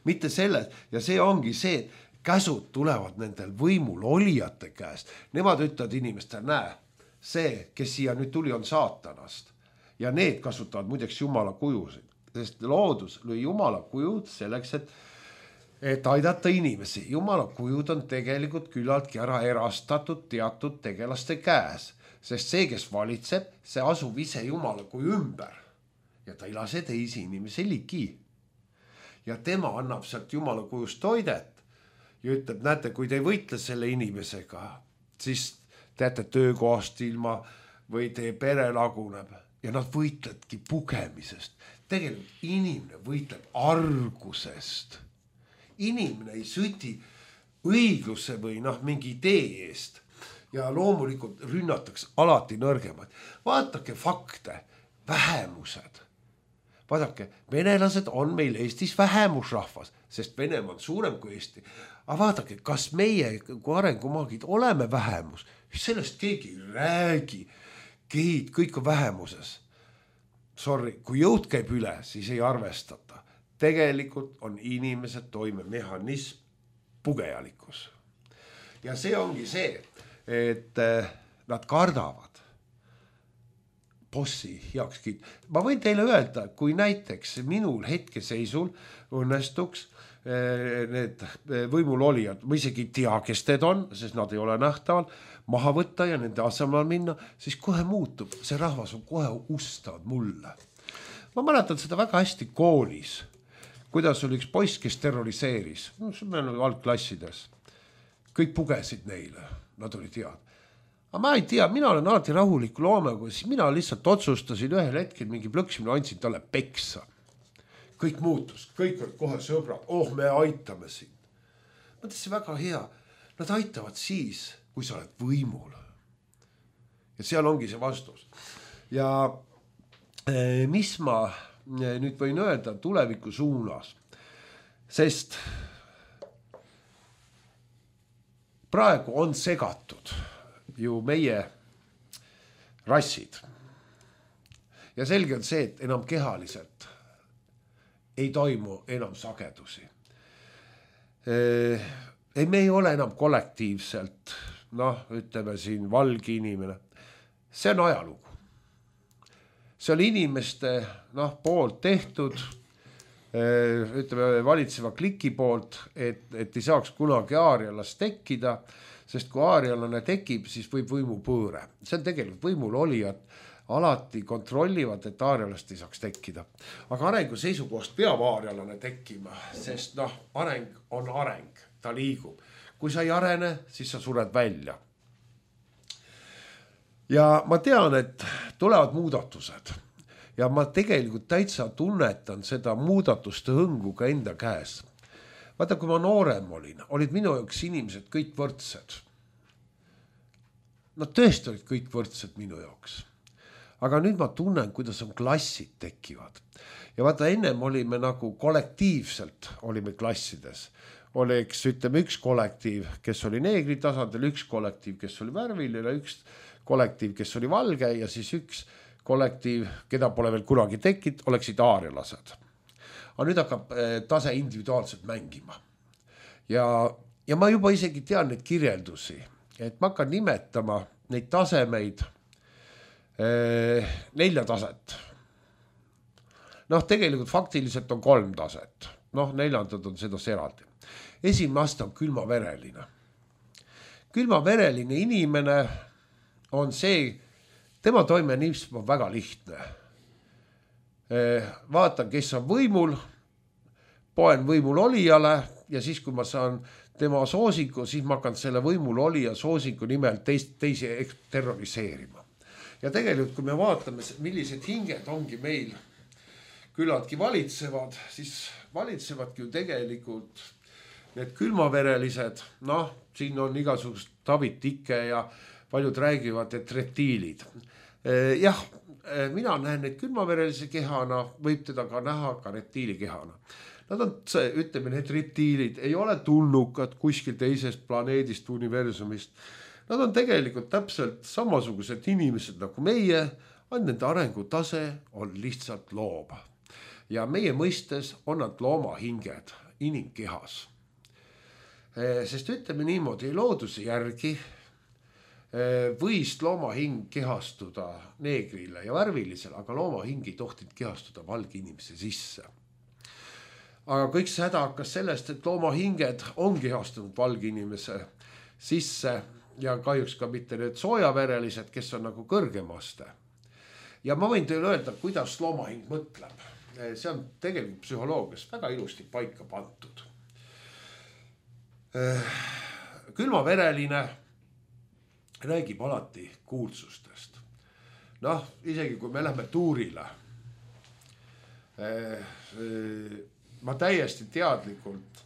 Mitte selles, ja see ongi see, et käsud tulevad nendel võimul olijate käest. Nemad ütlevad inimestel, näe, see, kes siia nüüd tuli, on saatanast. Ja need kasutavad muideks jumala kujusid. Sest loodus lõi jumala kujud selleks, et aidata inimesi. Jumala kujud on tegelikult küllaltki ära erastatud teatud tegelaste käes. Sest see, kes valitseb, see asub ise jumala kuju ümber. Ja ta ei lase teisi inimesi ligi. Ja tema annab sealt jumala kujust toidet. Ja ütleb, näete, kui te ei võitle selle inimesega, siis teate töökohast ilma või teie pere laguneb. Ja nad võitledki pugemisest. Tegelikult inimene võitleb argusest. Inimene ei süti õigluse või mingi idee eest. Ja loomulikult rünnatakse alati nõrgemaid. Vaatake fakte, vähemused. Vaadake, venelased on meil Eestis vähemusrahvas, sest Venemaa on suurem kui Eesti. Aga vaadake, kas meie kui arengumaagid oleme vähemus? Sellest keegi ei räägi. Gehid, kõik on vähemuses. Sorry, kui jõud käib üle, siis ei arvestata. Tegelikult on inimesed toimemehhanism pugejalikkus. Ja see ongi see, et nad kardavad bossi heakskiit. Ma võin teile öelda, kui näiteks minul hetkeseisul õnnestuks need võimul olijad, ma isegi ei tea, kes need on, sest nad ei ole nähtaval, maha võtta ja nende asemel minna, siis kohe muutub. See rahvas on kohe ustavad mulle. Ma mäletan seda väga hästi koolis, kuidas oli üks poiss, kes terroriseeris. See on algklassides. Kõik pugesid neile, nad olid head. Aga ma ei tea, mina olen alati rahuliku loomega, siis mina lihtsalt otsustasin ühel hetkel mingi plõksimine, andsin talle peksa. Kõik muutus, kõik olid kohe sõbrad, me aitame sind. Mõtlesin väga hea, nad aitavad siis, kui sa oled võimul. Ja seal ongi see vastus. Ja mis ma nüüd võin öelda tuleviku suunas, sest praegu on segatud ju meie rassid. Ja selge on see, et enam kehaliselt ei toimu enam sagedusi. Me ei ole enam kollektiivselt, ütleme siin valgi inimene. See on ajalugu. See on inimeste poolt tehtud, ütleme valitseva kliki poolt, et ei saaks kunagi aarialast tekkida, sest kui aarialane tekib, siis võib võimu pööre. See on tegelikult võimul olijad alati kontrollivad, et aarialast ei saaks tekkida. Aga arengu seisukohast peab aarialane tekkima, sest areng on areng, ta liigub. Kui sa ei arene, siis sa sured välja. Ja ma tean, et tulevad muudatused ja ma tegelikult täitsa tunnetan seda muudatuste hõngu ka enda käes. Vaata, kui ma noorem olid minu jaoks inimesed kõik võrdsed. Nad tõesti olid kõik võrdsed minu jaoks. Aga nüüd ma tunnen, kuidas on klassid tekivad. Ja vaata, ennem olime nagu kollektiivselt olime klassides. Oleks, ütleme, üks kollektiiv, kes oli neegri tasandil, üks kollektiiv, kes oli värviline, üks kollektiiv, kes oli valge ja siis üks kollektiiv, keda pole veel kunagi tekkinud, oleksid aarialased. Aga nüüd hakkab tase individuaalselt mängima. Ja ma juba isegi tean neid kirjeldusi, et ma hakkan nimetama neid tasemeid 4 taset. Tegelikult faktiliselt on 3 taset. 4 on seda eraldi. Esimene aste on külmavereline. Külmavereline inimene on see, tema toimenism on väga lihtne. Vaatan, kes on võimul, poen võimul olijale ja siis, kui ma saan tema soosiku, siis ma hakkan selle võimul olija soosiku nimel teisi terroriseerima. Ja tegelikult, kui me vaatame, millised hinged ongi meil küllaltki valitsevad, siis valitsevadki ju tegelikult need külmaverelised, noh, siin on igasugust David Icke ja paljud räägivad, et reptiilid. Jah, mina näen neid külmaverelise kehana, võib teda ka näha ka reptiili kehana. Nad on, ütleme, need reptiilid ei ole tulnukad kuskil teisest planeedist, universumist. Nad on tegelikult täpselt samasugused inimesed nagu meie, ainult nende arengutase on lihtsalt loom. Ja meie mõistes on nad loomahinged inimkehas. Sest ütleme niimoodi, looduse järgi võis loomahing kehastuda neegrile ja värvilisele, aga loomahing ei tohtinud kehastuda valge inimese sisse. Aga kõik see häda hakkas sellest, et loomahinged on kehastunud valge inimese sisse ja kahjuks ka mitte need soojaverelised, kes on nagu kõrgemaste. Ja ma võin teile öelda, kuidas loomahing mõtleb. See on tegelikult psühholoogias väga ilusti paika pandud. Külmavereline räägib alati kuulsustest. Noh, isegi kui me lähme tuurile, ma täiesti teadlikult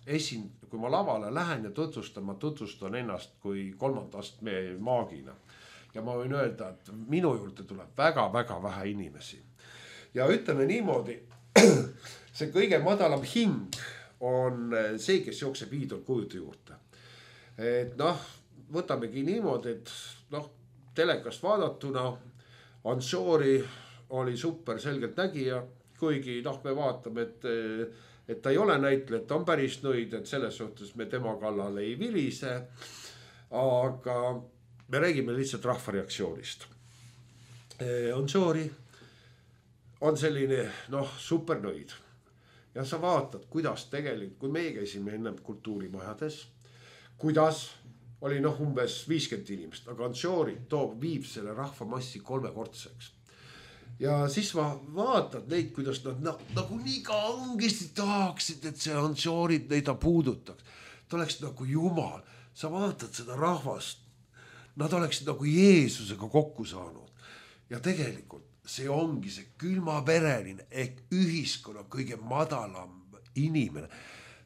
kui ma lavale lähen ja tutvustan ennast kui 3. astme maagina. Ja ma võin öelda, et minu juurde tuleb väga-väga vähe inimesi. Ja ütleme niimoodi, see kõige madalam hing on see, kes jookseb iidolkujude juurde. Et noh, võtamegi niimoodi, et noh, telekast vaadatuna Ansori oli super selgelt nägija, kuigi noh, me vaatame, et ta ei ole näitleja, ta on päris nõid, et selles suhtes me tema kallale ei vilise, aga me räägime lihtsalt rahva reaktsioonist. Ansori on selline noh, super nõid. Ja sa vaatad, kuidas tegelikult, kui meie käisime enne kultuurimajades, kuidas oli noh umbes 50 inimest, aga Ansori viib selle rahvamassi 3-kordseks. Ja siis ma vaatad neid, kuidas nad nagu nii kangesti tahaksid, et see Ansorit neid puudutaks. Ta oleks nagu jumal. Sa vaatad seda rahvast. Nad oleksid nagu Jeesusega kokku saanud. Ja tegelikult see ongi see külmavereline ehk ühiskonna kõige madalam inimene.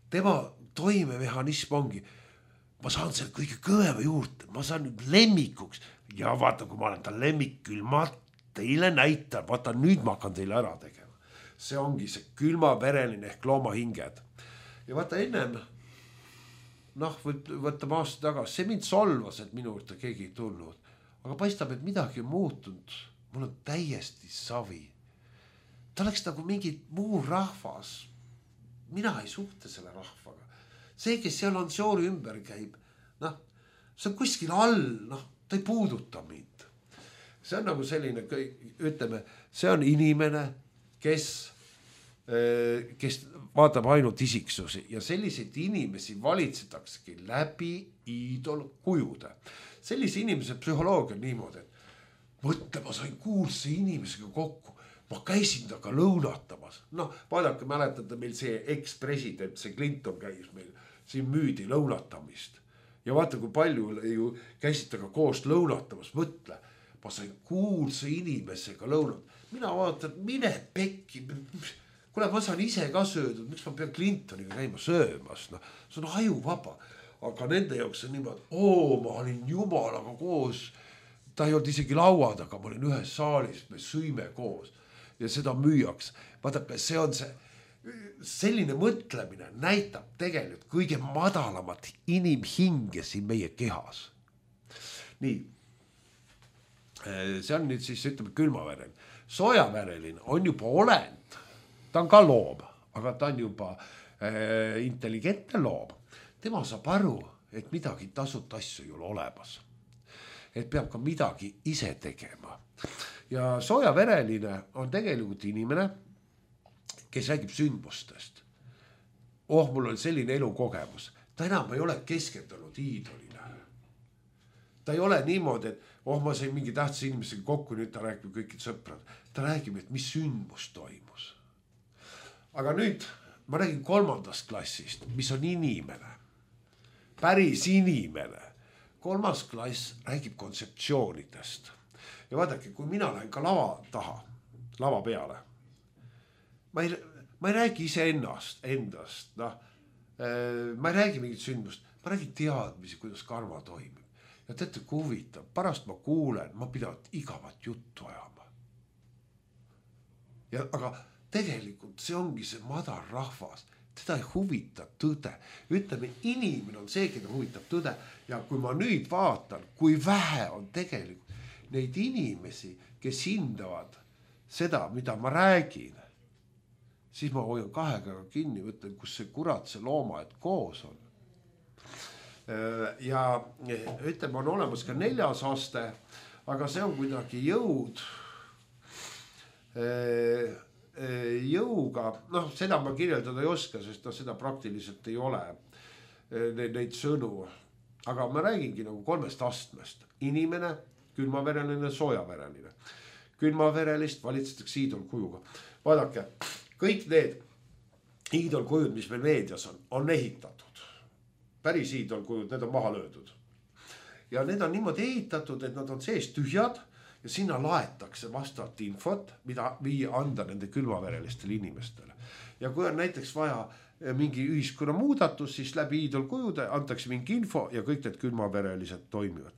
Tema toimemehhanism ongi, ma saan selle kõige kõvema juurde, ma saan nüüd lemmikuks. Ja vaata, kui ma olen ta lemmik küll, ma teile näitan, vaata nüüd ma hakkan teile ära tegema. See ongi see külmavereline ehk loomahinged. Ja vaata ennem, noh, võtame aasta tagasi, see mind solvas, et minu juurde keegi ei tulnud. Aga paistab, et midagi on muutunud. Mul on täiesti savi. Ta oleks nagu mingi muu rahvas. Mina ei suhte selle rahvaga. See, kes seal Ansori ümber käib, noh, see on kuskil all, noh, ta ei puuduta mind. See on nagu selline, ütleme, see on inimene, kes vaatab ainult isiksusi ja selliseid inimesi valitsetakse läbi iidolkujude. Sellise inimese psühholoogia on niimoodi, et mõtle, ma sain kuulsa inimesega kokku, ma käisin taga lõunatamas. Noh, vaadake, mäletate meil see ex-president, see Clinton käis meil, siin müüdi lõunatamist. Ja vaata, kui palju ju käisid taga koos lõunatamas, mõtle, ma sain kuulsa inimesega lõunat. Mina vaatan, mine pekki, kuule, ma saan ise ka söödud, miks ma pean Clintoniga käima söömas, no, see on ajuvaba. Aga nende jaoks on niimoodi, ma olin jumalaga koos, ta ei olnud isegi laua taga, ma olin ühes saalis, me sõime koos ja seda müüaks. Vaadake, see on see, selline mõtlemine näitab tegelikult kõige madalamat inimhinge siin meie kehas. Nii, see on nüüd siis, ütleme, külmavereline. Soojavereline on juba olend, ta on ka loom, aga ta on juba intelligentne loom. Tema saab aru, et midagi tasuta asju ei ole olemas. Et peab ka midagi ise tegema. Ja soojavereline on tegelikult inimene, kes räägib sündmustest. Mul oli selline elukogemus. Ta enam ei ole keskendunud iidolile. Ta ei ole niimoodi, et ma sain mingi tähtsa inimesega kokku, nüüd ta räägib kõikid sõprad. Ta räägib, et mis sündmus toimus. Aga nüüd ma räägin 3. klassist, mis on inimene. Päris inimene. 3. klass räägib kontseptsioonidest. Ja vaadake, kui mina lähen ka lava taha, lava peale, ma ei räägi endast, noh, ma ei räägi mingit sündmust, ma räägin teadmisi, kuidas karma toimib. Ja teate, kui huvitav, pärast ma kuulen, ma pidavat igavat juttu ajama. Aga tegelikult see ongi see madal rahvas, teda ei huvita tõde. Ütleme, inimene on see, keda huvitab tõde. Ja kui ma nüüd vaatan, kui vähe on tegelikult neid inimesi, kes hindavad seda, mida ma räägin, siis ma hoian kahega kinni, mõtlen, kus see kurat, see looma, et koos on. Ja ütleme, on olemas ka 4. aste, aga see on kuidagi jõuga, noh, seda ma kirjeldada ei oska, sest seda praktiliselt ei ole neid sõnu, aga ma räägingi nagu 3 astmest. Inimene, külmavereline, soojavereline. Külmaverelist valitsetakse hiidolkujuga. Vaadake, kõik need hiidolkujud, mis meil meedias on ehitatud. Päris hiidolkujud, need on maha löödud. Ja need on niimoodi ehitatud, et nad on sees tühjad ja sinna laetakse vastavalt infot, mida anda nende külmaverelistele inimestele. Ja kui on näiteks vaja mingi ühiskonna muudatus, siis läbi hiidolkujude antakse mingi info ja kõik need külmaverelised toimivad.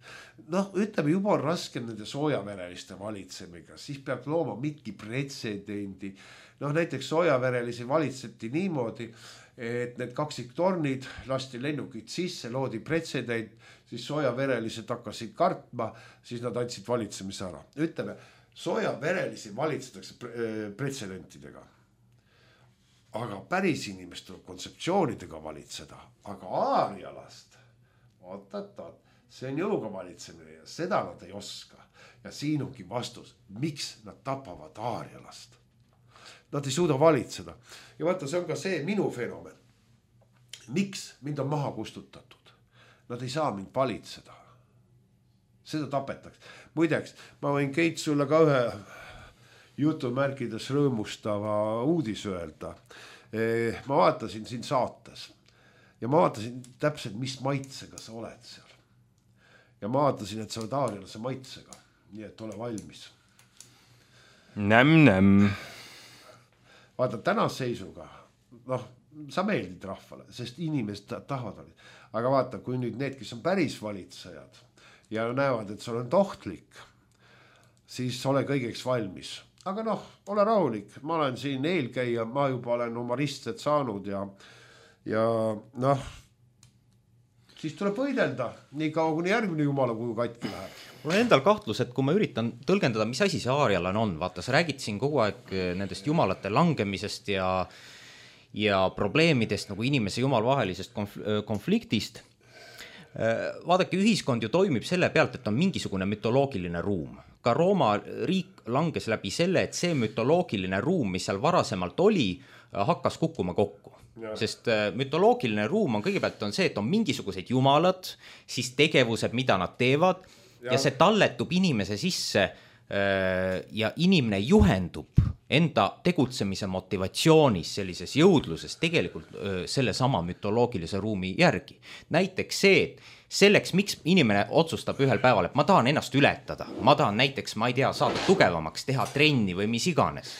Noh, ütleme, juba on raske nende soojavereliste valitsemiga, siis peab looma mingi pretsedendi. Noh, näiteks soojaverelisi valitseti niimoodi, et need kaksiktornid lasti lennukid sisse, loodi pretsedent, siis soojaverelised hakkasid kartma, siis nad andsid valitsemise ära. Ütleme, soojaverelisi valitsetakse pretsedentidega. Aga päris inimest tuleb kontseptsioonidega valitseda, aga aarialast, see on jõuga valitsemine ja seda nad ei oska. Ja siin ongi vastus, miks nad tapavad aarialast. Nad ei suuda valitseda. Ja vaata, see on ka see minu fenomen. Miks mind on maha kustutatud? Nad ei saa mind valitseda. Seda tapetakse. Muideks, ma võin Keit sulle ka ühe jutumärkides rõõmustava uudis öelda. Ma vaatasin siin saates ja ma vaatasin täpselt, mis maitsega sa oled seal. Ja ma vaatasin, et sa oled aarialase maitsega. Nii et ole valmis. Näm. Vaata, tänase seisuga, noh, sa meeldid rahvale, sest inimesed tahavad valida. Aga vaata, kui nüüd need, kes on päris valitsejad ja näevad, et sul on tohtlik, siis ole kõigeks valmis. Aga noh, ole rahulik, ma olen siin eelkäija, ma juba olen oma ristsed saanud ja noh, siis tuleb võidelda nii kaua, kuni järgmine jumala kuju katki läheb. Mul on endal kahtlus, et kui ma üritan tõlgendada, mis asi see aarialane on, vaata, sa räägid siin kogu aeg nendest jumalate langemisest ja probleemidest nagu inimese jumalvahelisest konfliktist. Vaadake, ühiskond ju toimib selle pealt, et on mingisugune mütoloogiline ruum. Ka Rooma riik langes läbi selle, et see mütoloogiline ruum, mis seal varasemalt oli, hakkas kukkuma kokku. Ja. Sest mütoloogiline ruum on kõigepealt on see, et on mingisugused jumalad, siis tegevused, mida nad teevad ja see talletub inimese sisse ja inimene juhendub enda tegutsemise motivatsioonis, sellises jõudluses tegelikult selle sama mütoloogilise ruumi järgi. Näiteks see, selleks, miks inimene otsustab ühel päeval, et ma tahan ennast ületada, ma tahan näiteks, ma ei tea, saada tugevamaks, teha trenni või mis iganes.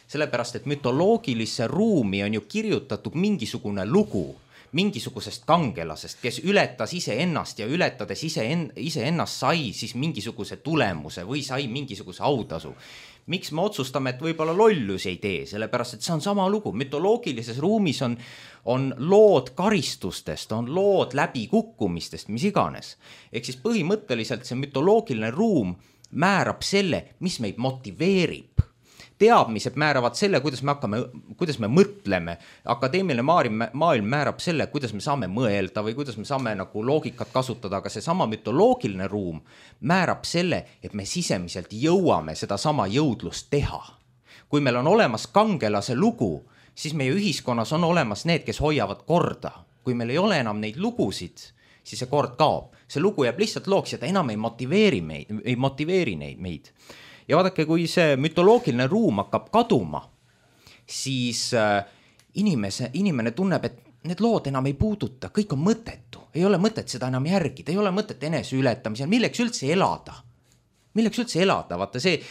Sellepärast, et mütoloogilisse ruumi on ju kirjutatud mingisugune lugu, mingisugusest kangelasest, kes ületas iseennast ja ületades iseennast sai siis mingisuguse tulemuse või sai mingisuguse autasu. Miks me otsustame, et võib-olla lollusi ei tee, sellepärast, et see on sama lugu. Mütoloogilises ruumis on lood karistustest, on lood läbikukkumistest, mis iganes. Ehk siis põhimõtteliselt see mütoloogiline ruum määrab selle, mis meid motiveerib. Teadmised määravad selle, kuidas me mõtleme. Akadeemiline maailm määrab selle, kuidas me saame mõelda või kuidas me saame nagu loogikat kasutada, aga see sama mütoloogiline ruum määrab selle, et me sisemiselt jõuame seda sama jõudlust teha. Kui meil on olemas kangelase lugu, siis meie ühiskonnas on olemas need, kes hoiavad korda. Kui meil ei ole enam neid lugusid, siis see kord kaob. See lugu jääb lihtsalt looks ja ta enam ei motiveeri meid. Ja vaadake, kui see mütoloogiline ruum hakkab kaduma, siis inimene tunneb, et need lood enam ei puuduta, kõik on mõttetu. Ei ole mõtet seda enam järgida, ei ole mõtet enese ületamisel, milleks üldse elada. milleks üldse elada, vaata see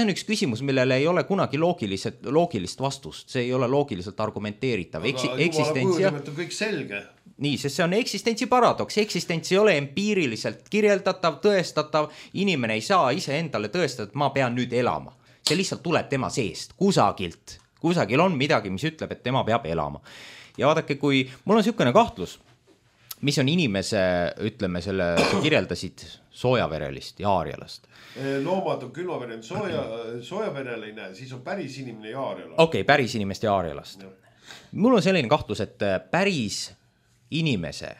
on üks küsimus, millele ei ole kunagi loogilist vastust, see ei ole loogiliselt argumenteeritav. Jumala kujunimet on kõik selge. Nii, sest see on eksistentsi paradoks, eksistents ei ole empiiriliselt kirjeldatav, tõestatav, inimene ei saa ise endale tõestada, et ma pean nüüd elama. See lihtsalt tuleb tema seest, kusagil on midagi, mis ütleb, et tema peab elama. Ja vaadake, kui mul on niisugune kahtlus, mis on inimese, ütleme sa kirjeldasid soojaverelist ja aarialast. Loomad on külmavereline, soojavereline, siis on päris inimene ja aarialast. Okei, päris inimest ja aarialast. Mul on selline kahtlus, et päris inimese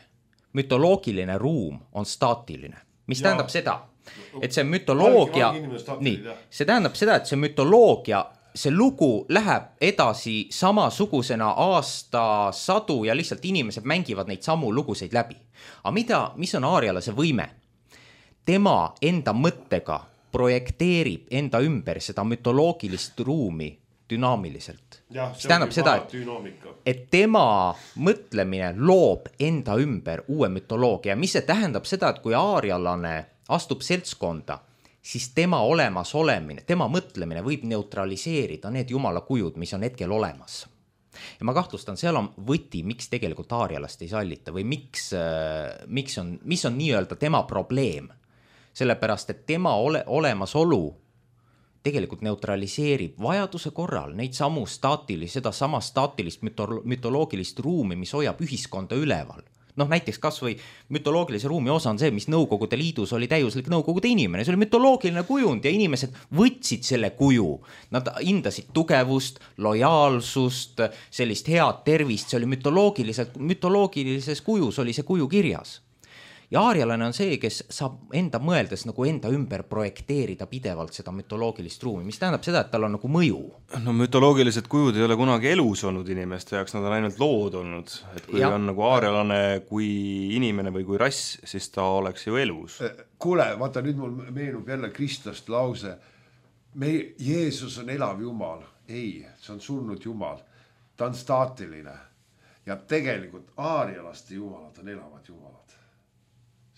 mütoloogiline ruum on staatiline. Mis tähendab seda, et see mütoloogia, see tähendab seda, et see mütoloogia, see lugu läheb edasi samasugusena aastasadu ja lihtsalt inimesed mängivad neid samu luguseid läbi. Aga mis on aarialase võime? Tema enda mõttega projekteerib enda ümber seda mütoloogilist ruumi dünaamiliselt. See tähendab seda, et tema mõtlemine loob enda ümber uue mütoloogia. Mis see tähendab seda, et kui aarialane astub seltskonda, siis tema olemasolemine, tema mõtlemine võib neutraliseerida need jumala kujud, mis on hetkel olemas. Ja ma kahtlustan, seal on võti, miks tegelikult aarialast ei sallita või mis on nii-öelda tema probleem. Sellepärast, et tema olemasolu tegelikult neutraliseerib vajaduse korral neid seda sama staatilist mütoloogilist ruumi, mis hoiab ühiskonda üleval. Näiteks kas või mütoloogilise ruumi osa on see, mis Nõukogude Liidus oli täiuslik Nõukogude inimene. See oli mütoloogiline kujund ja inimesed võtsid selle kuju. Nad hindasid tugevust, lojaalsust, sellist head tervist. See oli mütoloogilises kujus oli see kuju kirjas. Ja aarialane on see, kes saab enda mõeldes nagu enda ümber projekteerida pidevalt seda mütoloogilist ruumi, mis tähendab seda, et tal on nagu mõju. No mütoloogilised kujud ei ole kunagi elus olnud inimeste jaoks, nad on ainult lood olnud. Et kui on nagu aarialane kui inimene või kui rass, siis ta oleks ju elus. Kuule, vaata nüüd mul meenub jälle Kristost lause. Jeesus on elav jumal. Ei, see on surnud jumal. Ta on staatiline. Ja tegelikult aarialaste jumalad on elavad jumalad.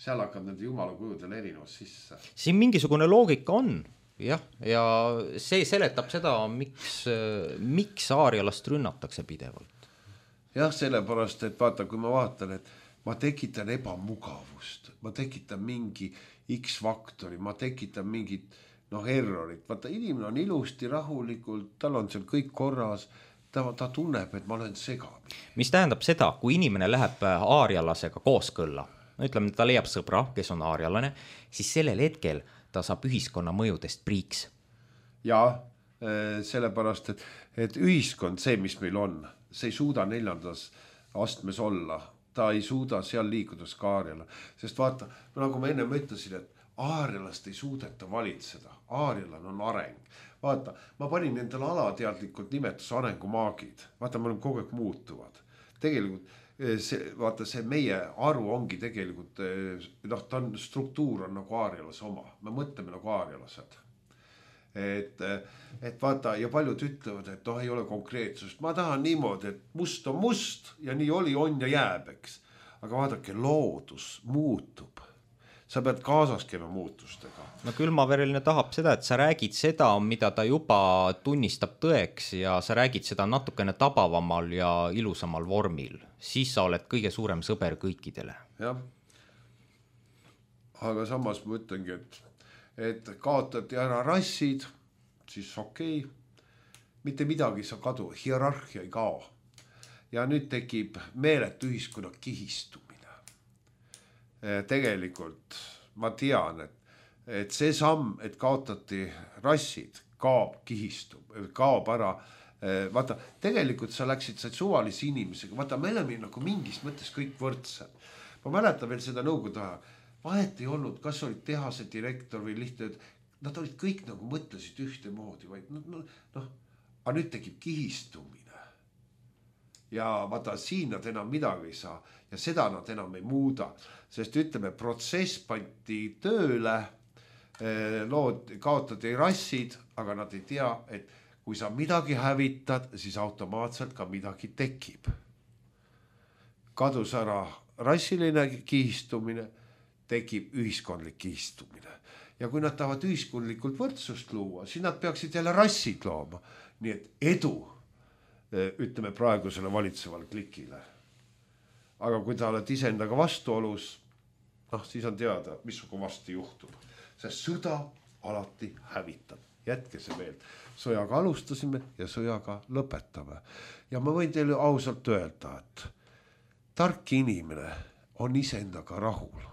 Seal hakkab nende jumala kujudel erinevus sisse. Siin mingisugune loogika on, jah, ja see seletab seda, miks aarialast rünnatakse pidevalt. Jah, sellepärast, et vaata, kui ma vaatan, et ma tekitan ebamugavust, ma tekitan mingi X-faktori, ma tekitan mingit errorit. Vaata, inimene on ilusti, rahulikult, tal on seal kõik korras, ta tunneb, et ma olen segami. Mis tähendab seda, kui inimene läheb aarialasega kooskõlla, ütleme, ta leiab sõbra, kes on aarialane, siis sellel hetkel ta saab ühiskonna mõjudest priiks. Ja sellepärast, et ühiskond, see, mis meil on, see ei suuda 4. astmes olla. Ta ei suuda seal liikudas ka aariala. Sest vaata, nagu ma enne ütlesin, et aarialast ei suudeta valitseda. Aarialan on areng. Vaata, ma panin endale alateadlikult nimetus arengumaagid. Vaata, me oleme kogu aeg muutuvad. Tegelikult see meie aru ongi tegelikult, struktuur on nagu aarialase oma. Me mõtleme nagu aarialased. Et vaata, ja paljud ütlevad, et ei ole konkreetsust. Ma tahan niimoodi, et must on must ja nii oli, on ja jääb, eks. Aga vaadake, loodus muutub. Sa pead kaasas käima muutustega. No külmavereline tahab seda, et sa räägid seda, mida ta juba tunnistab tõeks ja sa räägid seda natukene tabavamal ja ilusamal vormil. Siis sa oled kõige suurem sõber kõikidele. Jah. Aga samas ma ütlengi, et kaotati ära rassid, siis okei. Mitte midagi sa kadu, hierarhia ei kao. Ja nüüd tekib meeletu ühiskonna kihistumine. Tegelikult ma tean, et see samm, et kaotati rassid, kaob ära. Vaata, tegelikult sa läksid suvalise inimesega. Vaata, me oleme nagu mingis mõttes kõik võrdsed. Ma mäletan veel seda nõukogude ajal. Vahet ei olnud, kas olid tehase direktor või lihtne. Nad olid kõik nagu mõtlesid ühte moodi. Aga nüüd tekib kihistumine. Ja vaata, siin nad enam midagi ei saa ja seda nad enam ei muuda, sest ütleme, protsess pandi tööle, kaotati rassid, aga nad ei tea, et kui sa midagi hävitad, siis automaatselt ka midagi tekib. Kadus ära rassiline kihistumine, tekib ühiskondlik kihistumine. ja kui nad tahavad ühiskondlikult võrdsust luua, siis nad peaksid jälle rassid looma. Nii et edu, ütleme praegusele valitseval klikile. Aga kui ta oled iseendaga vastuolus, siis on teada, mis varsti juhtub. Sest sõda alati hävitab. Jätke see meeld. Sõjaga alustasime ja sõjaga lõpetame. Ja ma võin teile ausalt öelda, et tark inimene on iseendaga rahul.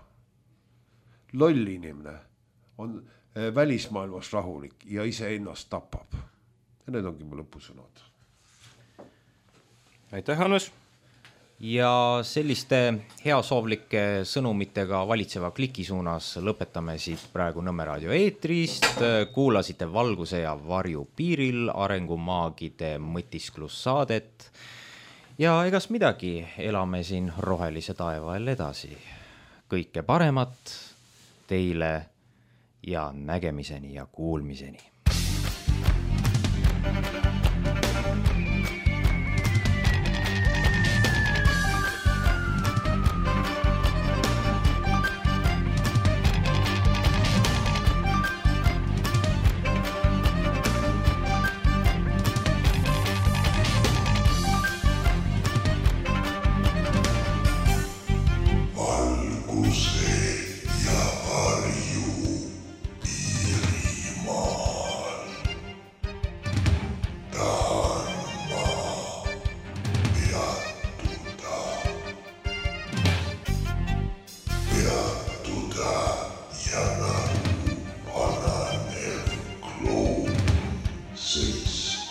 Loll inimene on välismaailmas rahulik ja iseennast tapab. Ja need ongi mu lõpusõnad. Aitäh, Hannes! Ja selliste heasoovlike sõnumitega valitseva kliki suunas lõpetame siit praegu Nõmme raadio eetrist. Kuulasite Valguse ja varju piiril arengumaagide mõtisklussaadet. Ja egas midagi, elame siin rohelise taevael edasi. Kõike paremat teile ja nägemiseni ja kuulmiseni. Six,